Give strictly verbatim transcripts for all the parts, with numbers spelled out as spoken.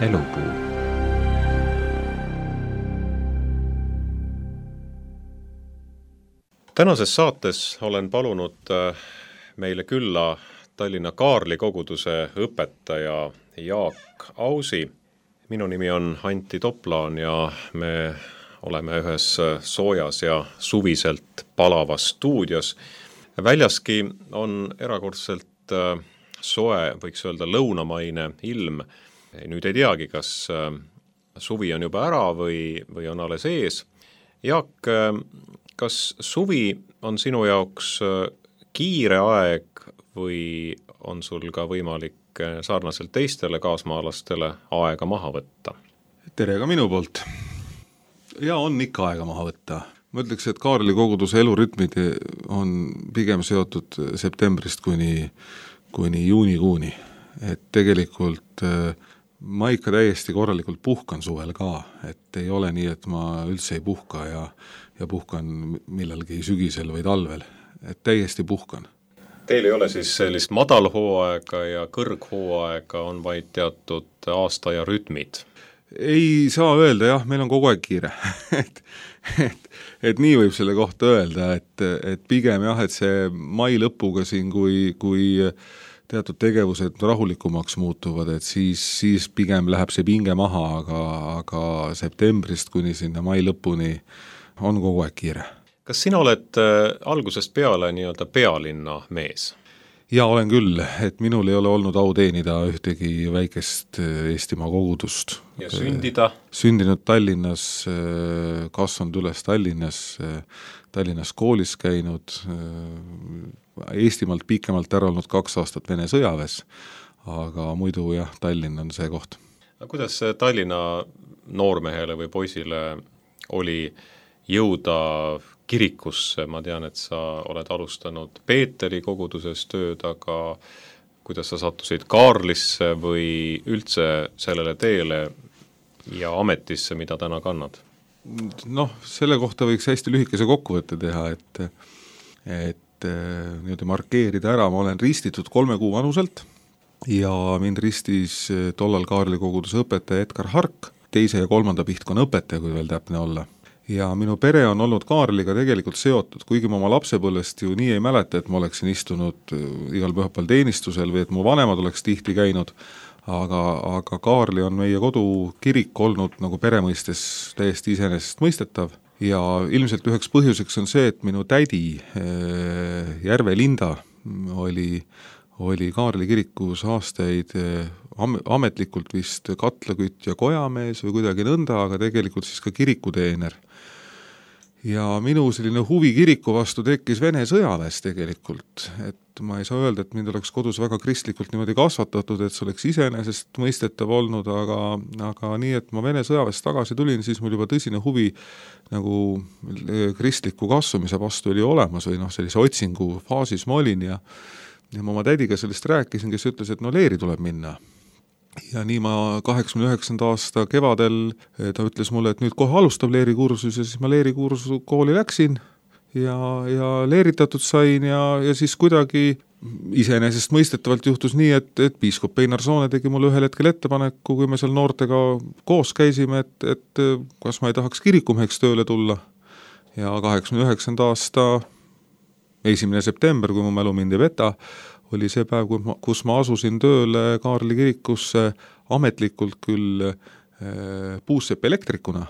Elupuu. Tänases saates olen palunud meile külla Tallinna Kaarli koguduse õpetaja Jaak Ausi. Minu nimi on Antti Toplaan ja me oleme ühes soojas ja suviselt palavas stuudios. Väljaski on erakordselt soe, võiks öelda lõunamaine ilm. Nüüd ei teagi, kas suvi on juba ära või, või on alles ees. Jaak, kas suvi on sinu jaoks kiire aeg või on sul ka võimalik sarnaselt teistele kaasmaalastele aega maha võtta? Tere ka minu poolt. Ja on ikka aega maha võtta. Ma ütleks, et Kaarli koguduse elurütmid on pigem seotud septembrist kuni, kuni juunikuuni. Et tegelikult ma ikka täiesti korralikult puhkan suvel ka, et ei ole nii, et ma üldse ei puhka ja, ja puhkan millalgi sügisel või talvel, et täiesti puhkan. Teil ei ole siis sellist madalhooaega ja kõrghooaega, on vaid teatud aasta ja rütmid? Ei saa öelda, jah, meil on kogu aeg kiire. et, et, et nii võib selle kohta öelda, et, et pigem jah, et see mai lõpuga siin, kui, kui teatud tegevused rahulikumaks muutuvad, et siis, siis pigem läheb see pinge maha, aga, aga septembrist kuni sinna mai lõpuni on kogu aeg kiire. Kas sina oled algusest peale nii-öelda pealinna mees? Ja olen küll, et minul ei ole olnud au teenida ühtegi väikest Eestimaa kogudust. Ja sündida? Sündinud Tallinnas, kasvanud üles Tallinnas, Tallinnas koolis käinud, Eestimaalt pikemalt ära olnud kaks aastat Vene sõjaväes, aga muidu jah, Tallinn on see koht. Kuidas Tallinna noormehele või poisile oli jõuda kirikusse? Ma tean, et sa oled alustanud Peeteri koguduses tööd, aga kuidas sa sattusid Kaarlisse või üldse sellele teele ja ametisse, mida täna kannad? Noh, selle kohta võiks hästi lühikese kokkuvõtte teha, et, et nii-öelda markeerida ära, ma olen ristitud kolme kuu vanuselt ja mind ristis tollal Kaarli koguduse õpetaja Edgar Hark, teise ja kolmanda pihtkonna õpetaja, kui veel täpne olla. Ja minu pere on olnud Kaarliga tegelikult seotud, kuigi ma oma lapsepõlvest ju nii ei mäleta, et ma oleksin istunud igal pühapäeval teenistusel või et mu vanemad oleks tihti käinud, aga, aga Kaarli on meie kodukirik olnud nagu peremõistes täiesti iseenesest mõistetav ja ilmselt üheks põhjuseks on see, et minu tädi Järve Linda oli, oli Kaarli kirikus aastaid ametlikult vist katlakütt ja kojamees või kuidagi nõnda, aga tegelikult siis ka kirikuteener. Ja minu selline huvi kiriku vastu tekkis Vene sõjaväes tegelikult, et ma ei saa öelda, et mind oleks kodus väga kristlikult niimoodi kasvatatud, et see oleks iseenesest mõistetav olnud, aga, aga nii, et ma Vene sõjaväest tagasi tulin, siis mul juba tõsine huvi nagu kristliku kasvamise vastu oli olemas või noh, sellise otsingu faasis ma olin ja, ja ma oma tädiga sellest rääkisin, kes ütles, et no leeri tuleb minna. Ja nii ma kaheksakümne üheksanda aasta kevadel ta ütles mulle, et nüüd kohe alustab leerikursus ja siis ma leerikursu kooli läksin ja, ja leeritatud sain ja, ja siis kuidagi iseenesest mõistetavalt juhtus nii, et, et piiskop Einar Soone tegi mulle ühel hetkel ettepaneku, kui me seal noortega koos käisime, et, et kas ma ei tahaks kirikumeheks tööle tulla. Ja kaheksakümne üheksanda aasta esimene september, kui mu mälu mind ei veta, oli see päev, kus ma asusin tööle Kaarli kirikusse ametlikult küll puussepp elektrikuna,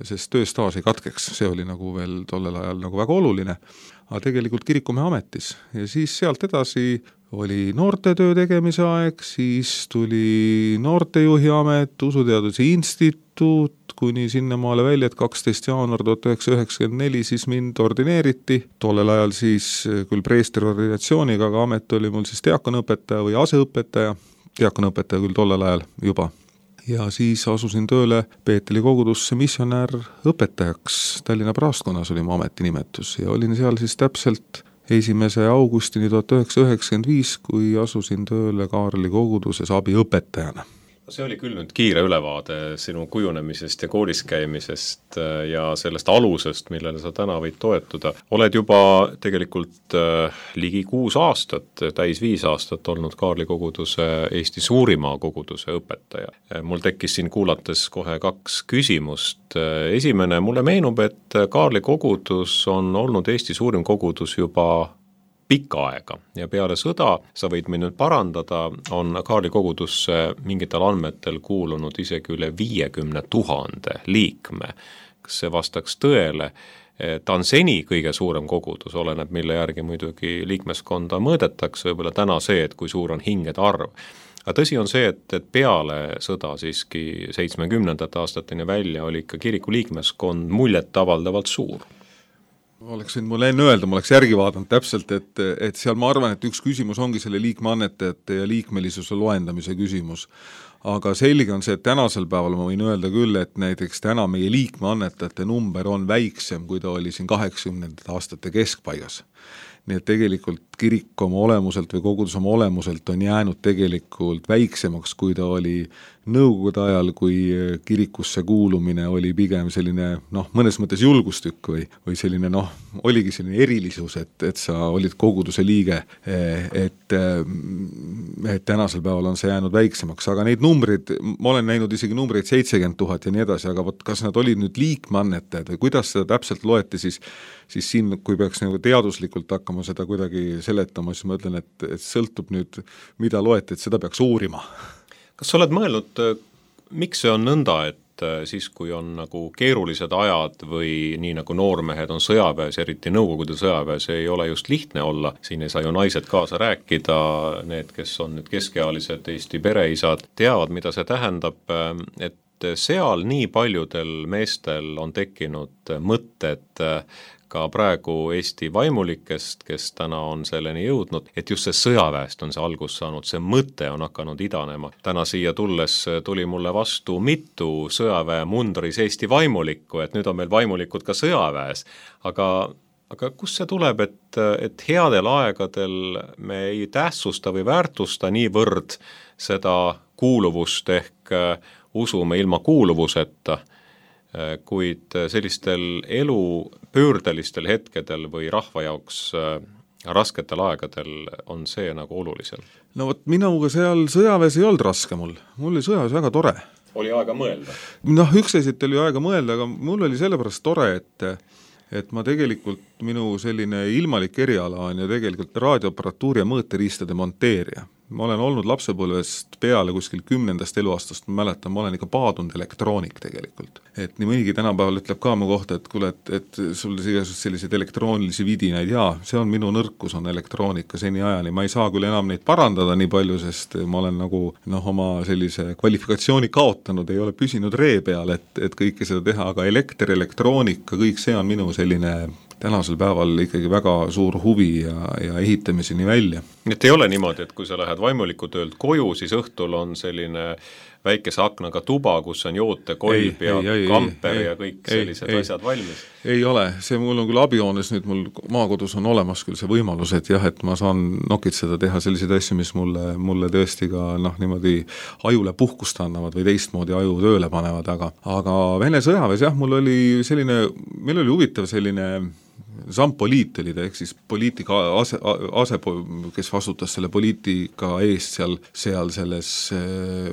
sest tööstaaž ei katkeks, see oli nagu veel tollel ajal nagu väga oluline, aga tegelikult kirikumehe ametis. Ja siis sealt edasi oli noortetöö tegemise aeg, siis tuli noortejuhi amet, usuteaduse instituut, kuni sinnamaale välja, et kaksteist jaanuar tuhat üheksasada üheksakümmend neli siis mind ordineeriti. Tollel ajal siis küll preestri ordinatsiooniga, aga amet oli mul siis diakonõpetaja või aseõpetaja, diakonõpetaja küll tollel ajal juba. Ja siis asusin tööle Peeteli kogudusse missionär õpetajaks. Tallinna praastkonnas oli mu ametinimetus ja olin seal siis täpselt esimese augustini tuhat üheksasada üheksakümmend viis, kui asusin tööle Kaarli koguduses abiõpetajana. See oli küll nüüd kiire ülevaade sinu kujunemisest ja koolis käimisest ja sellest alusest, millele sa täna võid toetuda. Oled juba tegelikult ligi kuus aastat, täis viis aastat olnud Kaarli koguduse, Eesti suurima koguduse õpetaja. Mul tekkis siin kuulates kohe kaks küsimust. Esimene, mulle meenub, et Kaarli kogudus on olnud Eesti suurim kogudus juba pikka aega ja peale sõda, sa võid mind nüüd parandada, on Kaarli kogudusse mingitel andmetel kuulunud isegi üle viiekümne tuhande liikme. Kas see vastaks tõele? Ta on seni kõige suurem kogudus, oleneb mille järgi muidugi liikmeskonda mõõdetakse, võib-olla täna see, et kui suur on hingede arv. Aga tõsi on see, et, et peale sõda siiski seitsmekümnendate aastateni välja oli ikka kiriku liikmeskond muljet avaldavalt suur. Oleks võinud mulle enne öelda, ma oleks järgi vaadanud täpselt, et, et seal ma arvan, et üks küsimus ongi selle liikmeannetajate ja liikmelisuse loendamise küsimus. Aga selge on see, et tänasel päeval ma võin öelda küll, et näiteks täna meie liikmeannetajate number on väiksem, kui ta oli siin kaheksakümnendate aastate keskpaigas. Nii et tegelikult kirik oma olemuselt või kogudus oma olemuselt on jäänud tegelikult väiksemaks, kui ta oli nõukogude ajal, kui kirikusse kuulumine oli pigem selline, noh, mõnes mõttes julgustükk või, või selline, noh, oligi selline erilisus, et, et sa olid koguduse liige, et, et tänasel päeval on see jäänud väiksemaks, aga neid numbreid, ma olen näinud isegi numbreid seitsekümmend tuhat ja nii edasi, aga võt, kas nad olid nüüd liikmeannetajad või kuidas seda täpselt loeti, siis, siis siin, kui peaks nagu teaduslikult hakkama seda kuidagi seletama, siis ma ütlen, et, et sõltub nüüd, mida loeti, et seda peaks uurima. Kas sa oled mõelnud, miks see on nõnda, et siis, kui on nagu keerulised ajad või nii nagu noormehed on sõjaväes, eriti Nõukogude sõjaväes, ei ole just lihtne olla, siin ei saa ju naised kaasa rääkida, need, kes on nüüd keskealised Eesti pereisad, teavad, mida see tähendab, et seal nii paljudel meestel on tekkinud mõtted ka praegu Eesti vaimulikest, kes täna on selleni jõudnud, et just see sõjaväest on see algus saanud, see mõte on hakanud idanema. Täna siia tulles tuli mulle vastu mitu sõjaväe mundris Eesti vaimulikku, et nüüd on meil vaimulikud ka sõjaväes, aga aga kus see tuleb, et, et headel aegadel me ei tähtsusta või väärtusta niivõrd seda kuuluvust ehk usume ilma kuuluvuseta, kuid sellistel elu pöördelistel hetkedel või rahva jaoks rasketel aegadel on see nagu olulisem. No vot, minuga seal sõjaväes ei olnud raske mul, mul oli sõjaväes väga tore. Oli aega mõelda? Noh, üksteisest oli aega mõelda, aga mul oli sellepärast tore, et et ma tegelikult, minu selline ilmalik eriala on ju tegelikult raadioaparatuuri ja mõõteriistade monteerija. Ma olen olnud lapsepõlvest peale kuskil kümnendast eluaastast, ma mäletan, ma olen ikka paadunud elektroonik tegelikult. Et nii mõnigi tänapäeval ütleb ka mu kohta, et kuule, et, et sul igasugused sellised elektroonilisi vidinaid, jaa, see on minu nõrkus, on elektroonika seni ajani. Ma ei saa küll enam neid parandada nii palju, sest ma olen nagu noh, oma sellise kvalifikatsiooni kaotanud, ei ole püsinud ree peal, et, et kõike seda teha, aga elekter, elektroonika, kõik see on minu selline tänasel päeval ikkagi väga suur huvi ja, ja ehitamiseni välja. Et ei ole niimoodi, et kui sa lähed vaimuliku töölt koju, siis õhtul on selline väikese aknaga tuba, kus on jootekolb ja ei, kamper ei, ja kõik ei, sellised ei, asjad valmis. Ei ole, see mul on küll abijoones, nüüd mul maakodus on olemas küll see võimalus, et jah, et ma saan nokitseda teha selliseid asju, mis mulle, mulle tõesti ka noh, niimoodi ajule puhkust annavad või teistmoodi aju tööle panevad, aga, aga Vene sõjaväes jah, mul oli selline, meil oli huvitav selline zampoliit oli ta, ehk siis poliitika ase, ase, kes vastutas selle poliitika eest seal, seal selles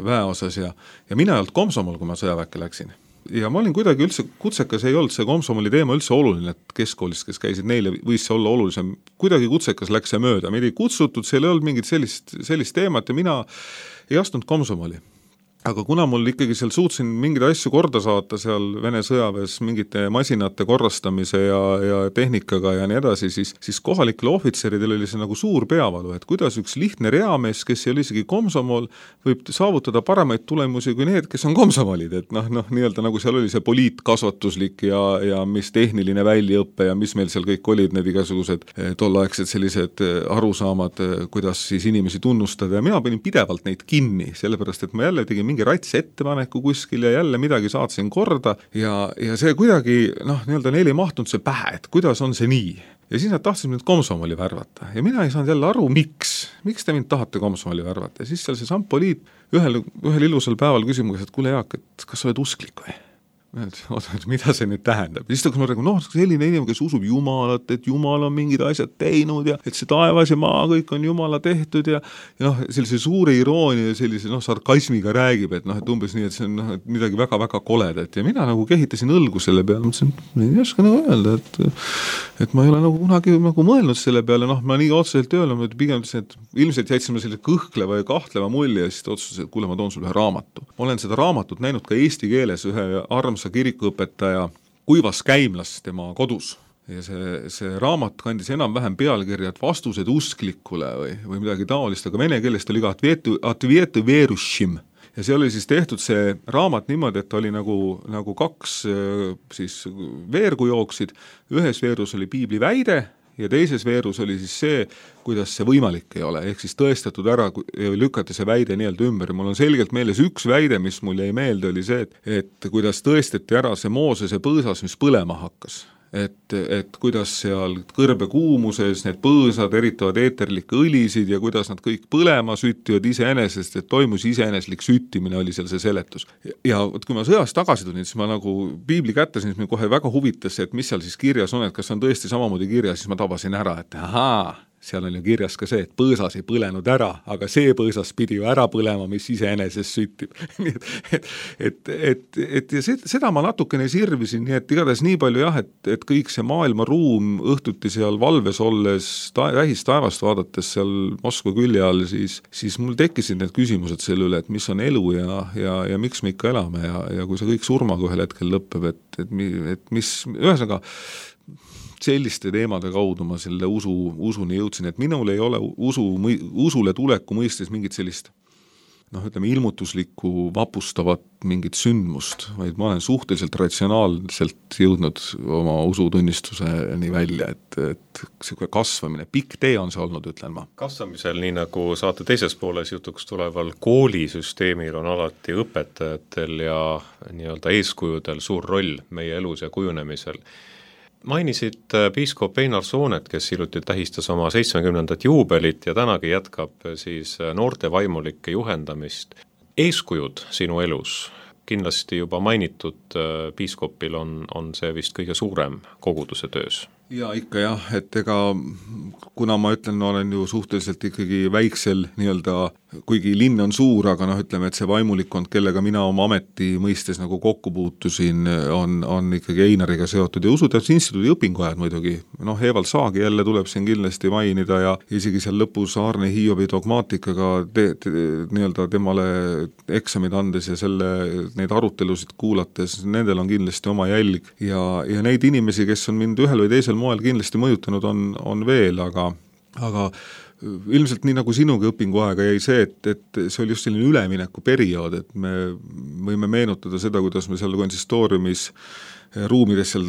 väeosas ja, ja mina ei olnud komsomol, kui ma sõjaväkke läksin. Ja ma olin kuidagi üldse kutsekas, ei olnud see komsomoli teema üldse oluline, et keskkoolist, kes käisid, neile võis see olla olulisem. Kuidagi kutsekas läks see mööda, meid ei kutsutud, seal ei olnud mingit sellist, sellist teemat ja mina ei astunud komsomoli. Aga kuna mul ikkagi seal suutsin mingeid asju korda saata seal Vene sõjaväes mingite masinate korrastamise ja, ja tehnikaga ja nii edasi, siis, siis kohalikele ohvitseridel oli see nagu suur peavalu, et kuidas üks lihtne reamees, kes ei ole isegi komsomol, võib saavutada paremaid tulemusi kui need, kes on komsomolid, et noh, noh, nii-öelda nagu seal oli see poliitkasvatuslik ja, ja mis tehniline väljaõppe ja mis meil seal kõik olid, need igasugused tolleaegsed sellised arusaamad, kuidas siis inimesi tunnustada ja mina panin pidevalt neid kinni, sellepärast et ma jälle tegin mingi rats ettepaneku kuskil ja jälle midagi saatsin korda ja, ja see kuidagi noh, nii-öelda neil ei mahtunud see pähe, et kuidas on see nii. Ja siis nad tahtsid mind komsomoli värvata ja mina ei saanud jälle aru, miks, miks te mind tahate komsomoli värvata ja siis seal see sampoliit ühel, ühel ilusal päeval küsimus, et kuule Jaak, et kas sa oled usklik või? Oota, mida see nüüd tähendab? Ja siis ta räägib, noh, selline inimene, kes usub Jumalat, et Jumal on mingid asjad teinud ja et see taevas ja maa kõik on Jumala tehtud ja, ja noh, sellise suure iroonia ja sellise noh, sarkasmiga räägib, et noh, et umbes nii, et see on noh, et midagi väga-väga koledat ja mina nagu kehitasin õlgu selle peale, mõtlesin, ei oska nagu öelda, et, et ma ei ole nagu kunagi nagu mõelnud selle peale, noh, ma nii otseselt ei öelnud, et pigem ütlesin, et ilmselt jätsin ma selle kõhkleva ja kahtleva mulje ja siis otsustasin, et kuule, ma toon sulle ühe raamatu. Ma olen seda raamatut näinud ka eesti keeles ühe armsa kirikuõpetaja Kuivas Käimlas tema kodus ja see, see raamat kandis enam-vähem pealkirja, et vastused usklikule või, või midagi taolist, aga vene keelest oli ka Atvietu Verushim ja see oli siis tehtud see raamat niimoodi, et oli nagu, nagu kaks siis veergu jooksid, ühes veerus oli piibli väide ja teises veerus oli siis see, kuidas see võimalik ei ole, ehk siis tõestatud ära ja lükati see väide nii-öelda ümber. Mul on selgelt meeles üks väide, mis mul jäi meelde, oli see, et, et kuidas tõestati ära see Moosese põõsas, mis põlema hakkas. Et, et kuidas seal kõrbe kuumuses need põõsad eritavad eeterlikke õlisid ja kuidas nad kõik põlema süttivad iseenesest, et toimus iseeneslik süttimine, oli seal see seletus. Ja kui ma sõjast tagasi tulin, siis ma nagu piibli kätte, siis mind kohe väga huvitas, et mis seal siis kirjas on, et kas on tõesti samamoodi kirjas, siis ma tabasin ära, et ahaa, seal on ju kirjas ka see, et põõsas ei põlenud ära, aga see põõsas pidi ju ära põlema, mis iseenesest süttib. et, et, et, et ja seda ma natukene sirvisin, nii et igatahes nii palju jah, et, et kõik see maailma ruum õhtuti seal valves olles, ta, vähist taevast vaadates seal Moskva külje all, siis, siis mul tekkisid need küsimused selle üle, et mis on elu ja, ja, ja miks me ikka elame ja, ja kui see kõik surmaga ühel hetkel lõpeb, et, et, et mis, ühesõnaga selliste teemade kaudu ma selle usu, usuni jõudsin, et minul ei ole usu, usule tuleku mõistes mingit sellist noh, ütleme ilmutuslikku vapustavat mingit sündmust, vaid ma olen suhteliselt ratsionaalselt jõudnud oma usutunnistuseni välja, et, et see kasvamine, pikk tee on see olnud, ütlen ma. Kasvamisel, nii nagu saate teises pooles jutuks tuleval koolisüsteemil on alati õpetajatel ja nii-öelda eeskujudel suur roll meie elus ja kujunemisel. Mainisid piiskop Einar Soonet, kes hiljuti tähistas oma seitsmekümnendat juubelit ja tänagi jätkab siis noorte vaimulike juhendamist. Eeskujud sinu elus, kindlasti juba mainitud piiskopil on, on see vist kõige suurem koguduse töös. Ja ikka jah, et ega kuna ma ütlen, ma olen ju suhteliselt ikkagi väiksel nii-öelda, kuigi linn on suur, aga noh, ütleme, et see vaimulikkond, kellega mina oma ameti mõistes nagu kokku puutusin, on, on ikkagi Einariga seotud ja Usuteaduse Instituudi õpinguajad muidugi. Noh, Evald Saagi jälle tuleb siin kindlasti mainida ja isegi seal lõpus Aarne Hiobi dogmaatikaga te, te, nii-öelda temale eksamid andes ja selle, neid arutelusid kuulates, nendel on kindlasti oma jälg ja, ja neid inimesi, kes on mind ühel või teisel moel kindlasti mõjutanud on, on veel, aga, aga ilmselt nii nagu sinugi õpinguaega jäi see, et, et see oli just selline ülemineku periood, et me võime meenutada seda, kuidas me seal konsistooriumis ruumides seal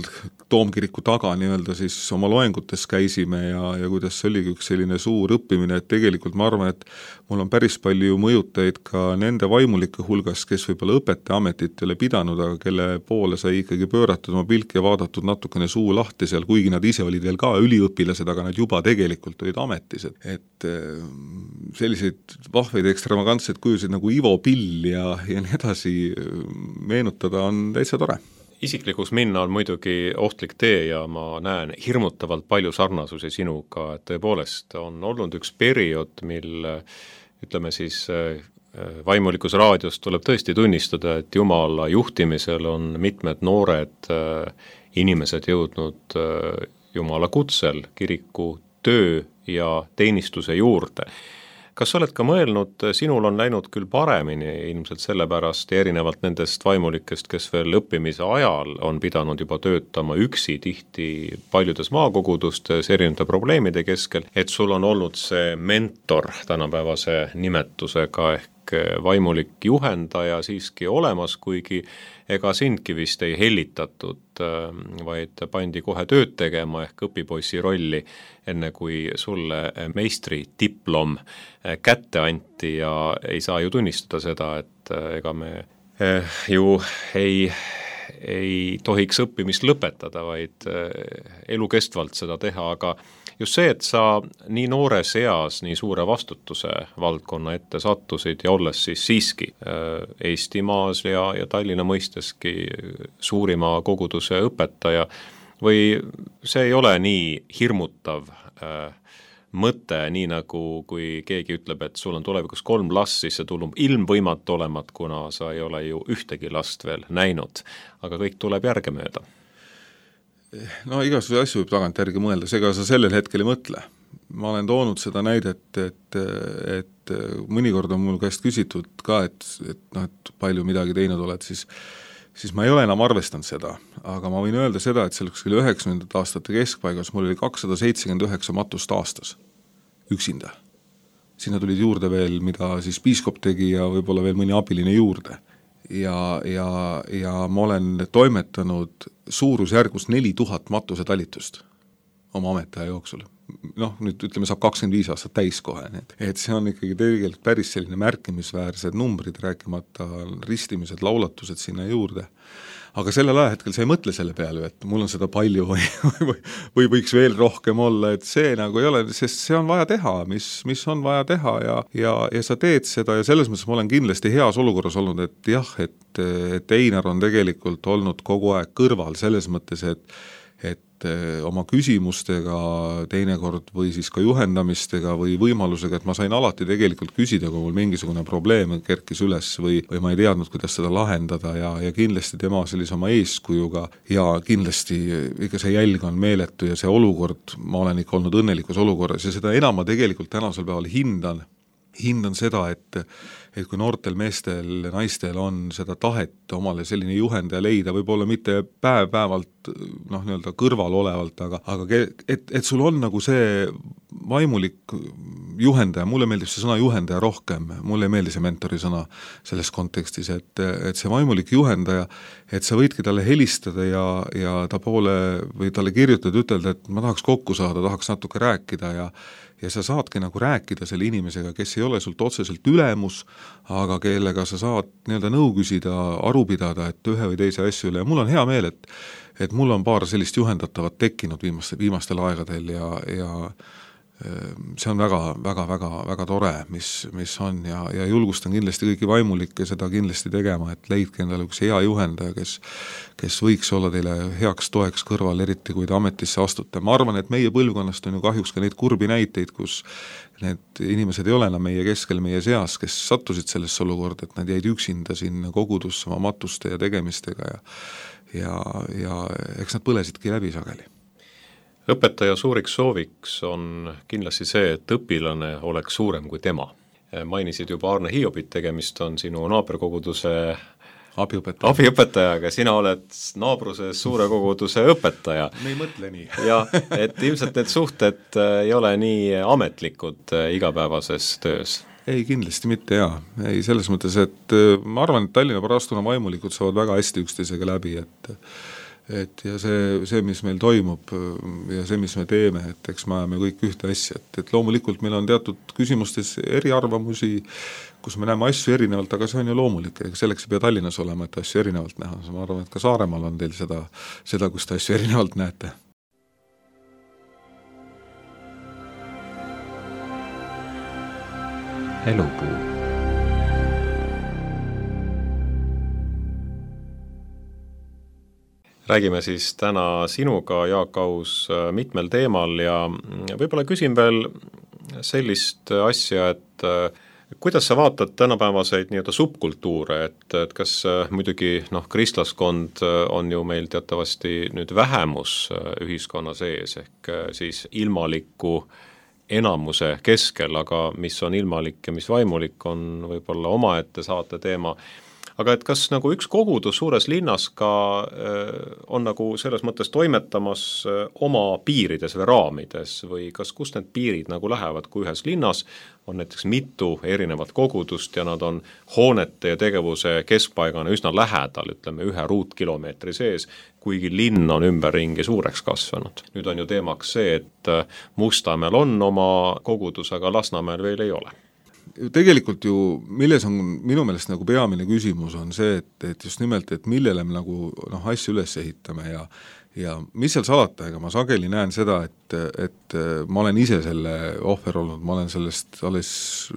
Toomkiriku taga nii-öelda siis oma loengutes käisime ja, ja kuidas see oligi üks selline suur õppimine, et tegelikult ma arvan, et mul on päris palju mõjutajaid ka nende vaimulike hulgas, kes võib-olla õpetajaametit ei ole pidanud, aga kelle poole sai ikkagi pööratud oma pilk ja vaadatud natukene suu lahti seal, kuigi nad ise olid veel ka üliõpilased, aga nad juba tegelikult olid ametis. Et selliseid vahveid ekstravagantseid kujusid nagu Ivo Pill ja, ja nii edasi meenutada on täitsa tore. Isiklikus minna on muidugi ohtlik tee ja ma näen hirmutavalt palju sarnasusi sinuga, et tõepoolest on olnud üks periood, mil ütleme siis vaimulikus raadios tuleb tõesti tunnistada, et Jumala juhtimisel on mitmed noored inimesed jõudnud Jumala kutsel kiriku töö ja teenistuse juurde. Kas oled ka mõelnud, sinul on läinud küll paremini ilmselt sellepärast ja erinevalt nendest vaimulikest, kes veel õppimise ajal on pidanud juba töötama üksi tihti paljudes maakogudustes erinevate probleemide keskel, et sul on olnud see mentor tänapäevase nimetusega ehk vaimulik juhendaja siiski olemas, kuigi ega sindki vist ei hellitatud, vaid pandi kohe tööd tegema ehk õpipoissi rolli, enne kui sulle meistri diplom kätte anti ja ei saa ju tunnistada seda, et et ega me ju ei ei tohiks õppimist lõpetada, vaid elukestvalt seda teha, aga just see, et sa nii noores eas nii suure vastutuse valdkonna ette sattusid ja olles siis siiski Eestimaas ja, ja Tallinna mõisteski suurima koguduse õpetaja, või see ei ole nii hirmutav äh, mõte, nii nagu kui keegi ütleb, et sul on tulevikus kolm last, siis see tulub ilmvõimatu olemat, kuna sa ei ole ju ühtegi last veel näinud, aga kõik tuleb järgemööda. No igasuguseid asju võib tagantjärgi mõelda, seega sa sellel hetkel ei mõtle. Ma olen toonud seda näidet, et, et mõnikord on mul käest küsitud ka, et, et, no, et palju midagi teinud oled, siis siis ma ei ole enam arvestanud seda, aga ma võin öelda seda, et selleks küll üheksakümnendate aastate keskpaigas mul oli kakssada seitsekümmend üheksa matust aastas üksinda. Sinna tulid juurde veel, mida siis piiskop tegi ja võib-olla veel mõni abiline juurde. Ja, ja, ja ma olen toimetanud suurusjärgus neli tuhat matuse talitust oma ametiaja jooksul. Noh, nüüd ütleme, saab kakskümmend viis aastat täis kohe. Et see on ikkagi tegelikult päris selline märkimisväärsed numbrid, rääkimata ristimised, laulatused sinna juurde. Aga sellel ajahetkel sa ei mõtle selle peale, et mul on seda palju või, või, või võiks veel rohkem olla, et see nagu ei ole, sest see on vaja teha, mis, mis on vaja teha ja, ja, ja sa teed seda ja selles mõttes ma olen kindlasti heas olukorras olnud, et jah, et, et Einar on tegelikult olnud kogu aeg kõrval selles mõttes, et et oma küsimustega teinekord või siis ka juhendamistega või võimalusega, et ma sain alati tegelikult küsida, kui mul mingisugune probleem kerkis üles või, või ma ei teadnud, kuidas seda lahendada ja, ja kindlasti tema sellise oma eeskujuga ja kindlasti ikka see jälg on meeletu ja see olukord, ma olen ikka olnud õnnelikus olukorras ja seda enam ma tegelikult tänasel päeval hindan, hindan seda, et et kui noortel meestel ja naistel on seda tahet omale selline juhendaja leida, võib-olla mitte päev-päevalt noh, nii-öelda kõrval olevalt, aga, aga et, et sul on nagu see vaimulik juhendaja, mulle meeldib see sõna juhendaja rohkem, mulle ei meeldi see mentori sõna selles kontekstis, et, et see vaimulik juhendaja, et sa võidki talle helistada ja, ja ta poole või talle kirjutada, ütelda, et ma tahaks kokku saada, tahaks natuke rääkida ja ja sa saadki nagu rääkida selle inimesega, kes ei ole sult otseselt ülemus, aga kellega sa saad nii-öelda nõu küsida, aru pidada, et ühe või teise asju üle ja mul on hea meel, et, et mul on paar sellist juhendatavat tekkinud viimaste, viimastel aegadel ja, ja see on väga, väga, väga, väga tore, mis, mis on ja, ja julgustan kindlasti kõiki vaimulikke seda kindlasti tegema, et leidke endale üks hea juhendaja, kes, kes võiks olla teile heaks toeks kõrval, eriti kui te ametisse astute. Ma arvan, et meie põlvkonnast on ju kahjuks ka neid kurbi näiteid, kus need inimesed ei ole enam meie keskel, meie seas, kes sattusid sellesse olukorda, et nad jäid üksinda sinna kogudusse oma matuste ja tegemistega ja, ja, ja eks nad põlesidki läbi sageli. Õpetaja suuriks sooviks on kindlasti see, et õpilane oleks suurem kui tema. Mainisid juba Arne Hiiobit, tegemist on sinu naaberkoguduse abiõpetaja. abiõpetajaga, sina oled naabruses suure koguduse õpetaja. Me ei mõtle nii. ja, et ilmselt need suhted ei ole nii ametlikud igapäevases töös. Ei, kindlasti mitte jaa. Ei, selles mõttes, et ma arvan, et Tallinna Parastuna vaimulikud saavad väga hästi üksteisega läbi, et et ja see, see, mis meil toimub ja see, mis me teeme, et eks me ajame kõik ühte asja, et, et loomulikult meil on teatud küsimustes eriarvamusi, kus me näeme asju erinevalt, aga see on ju loomulik, selleks ei pea Tallinnas olema, et asju erinevalt näha, ma arvan, et ka Saaremaal on teil seda, seda kus te asju erinevalt näete. Elupuu. Räägime siis täna sinuga, Jaak Aus, mitmel teemal ja võib-olla küsin veel sellist asja, et kuidas sa vaatad tänapäevaseid nii-öelda subkultuure, et, et kas muidugi noh, kristlaskond on ju meil teatavasti nüüd vähemus ühiskonna sees, ehk siis ilmaliku enamuse keskel, aga mis on ilmalik ja mis vaimulik, on võib-olla omaette saate teema. Aga et kas nagu üks kogudus suures linnas ka on nagu selles mõttes toimetamas oma piirides või raamides või kas kust need piirid nagu lähevad, kui ühes linnas on näiteks mitu erinevat kogudust ja nad on hoonete ja tegevuse keskpaigana üsna lähedal, ütleme ühe ruutkilomeetri sees, kuigi linn on ümberringi suureks kasvanud. Nüüd on ju teemaks see, et Mustamäel on oma kogudus, aga Lasnamäel veel ei ole. tegelikult ju, milles on minu meelest nagu peamine küsimus on see, et, et just nimelt, et millele me nagu noh, asju üles ehitame ja ja mis seal salata, ega ma sageli näen seda, et, et ma olen ise selle ohver olnud, ma olen sellest alles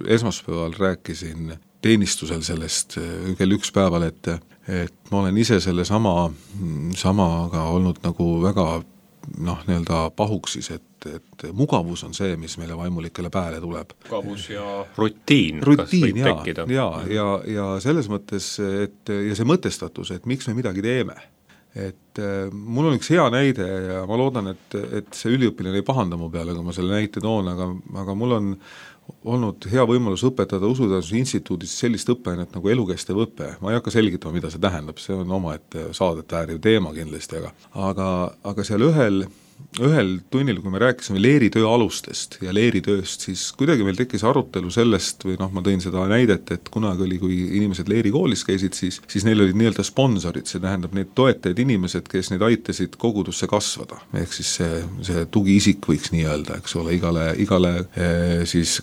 esmaspäeval rääkisin teenistusel sellest kell üks päeval, et, et ma olen ise selle sama, samaga olnud nagu väga noh, nii-öelda pahuksis, et et mugavus on see, mis meile vaimulikele pääle tuleb. Mugavus ja rutiin, rutiin kas võib tekkida. Ja, ja, ja selles mõttes, et ja see mõtestatus, et miks me midagi teeme. Et mul on üks hea näide ja ma loodan, et, et see üliõpilane ei pahanda mu peale, kui ma selle näite toon, aga, aga mul on olnud hea võimalus õpetada Usuteenuse instituudis sellist õppeainet nagu elukestev õpe. Ma ei hakka selgitama, mida see tähendab, see on oma, et saadet vääriv teema kindlasti, aga, aga, aga seal ühel ühel tunnil, kui me rääkisime leeritöö alustest ja leeritööst, siis kuidagi meil tekkis arutelu sellest, või noh, ma tõin seda näidet, et kunagi oli, kui inimesed leerikoolis käisid, siis, siis neil olid nii-öelda sponsorid, see tähendab need toetajaid inimesed, kes neid aitasid kogudusse kasvada. Ehk siis see, see tugiisik võiks nii öelda, eks ole, igale, igale eh, siis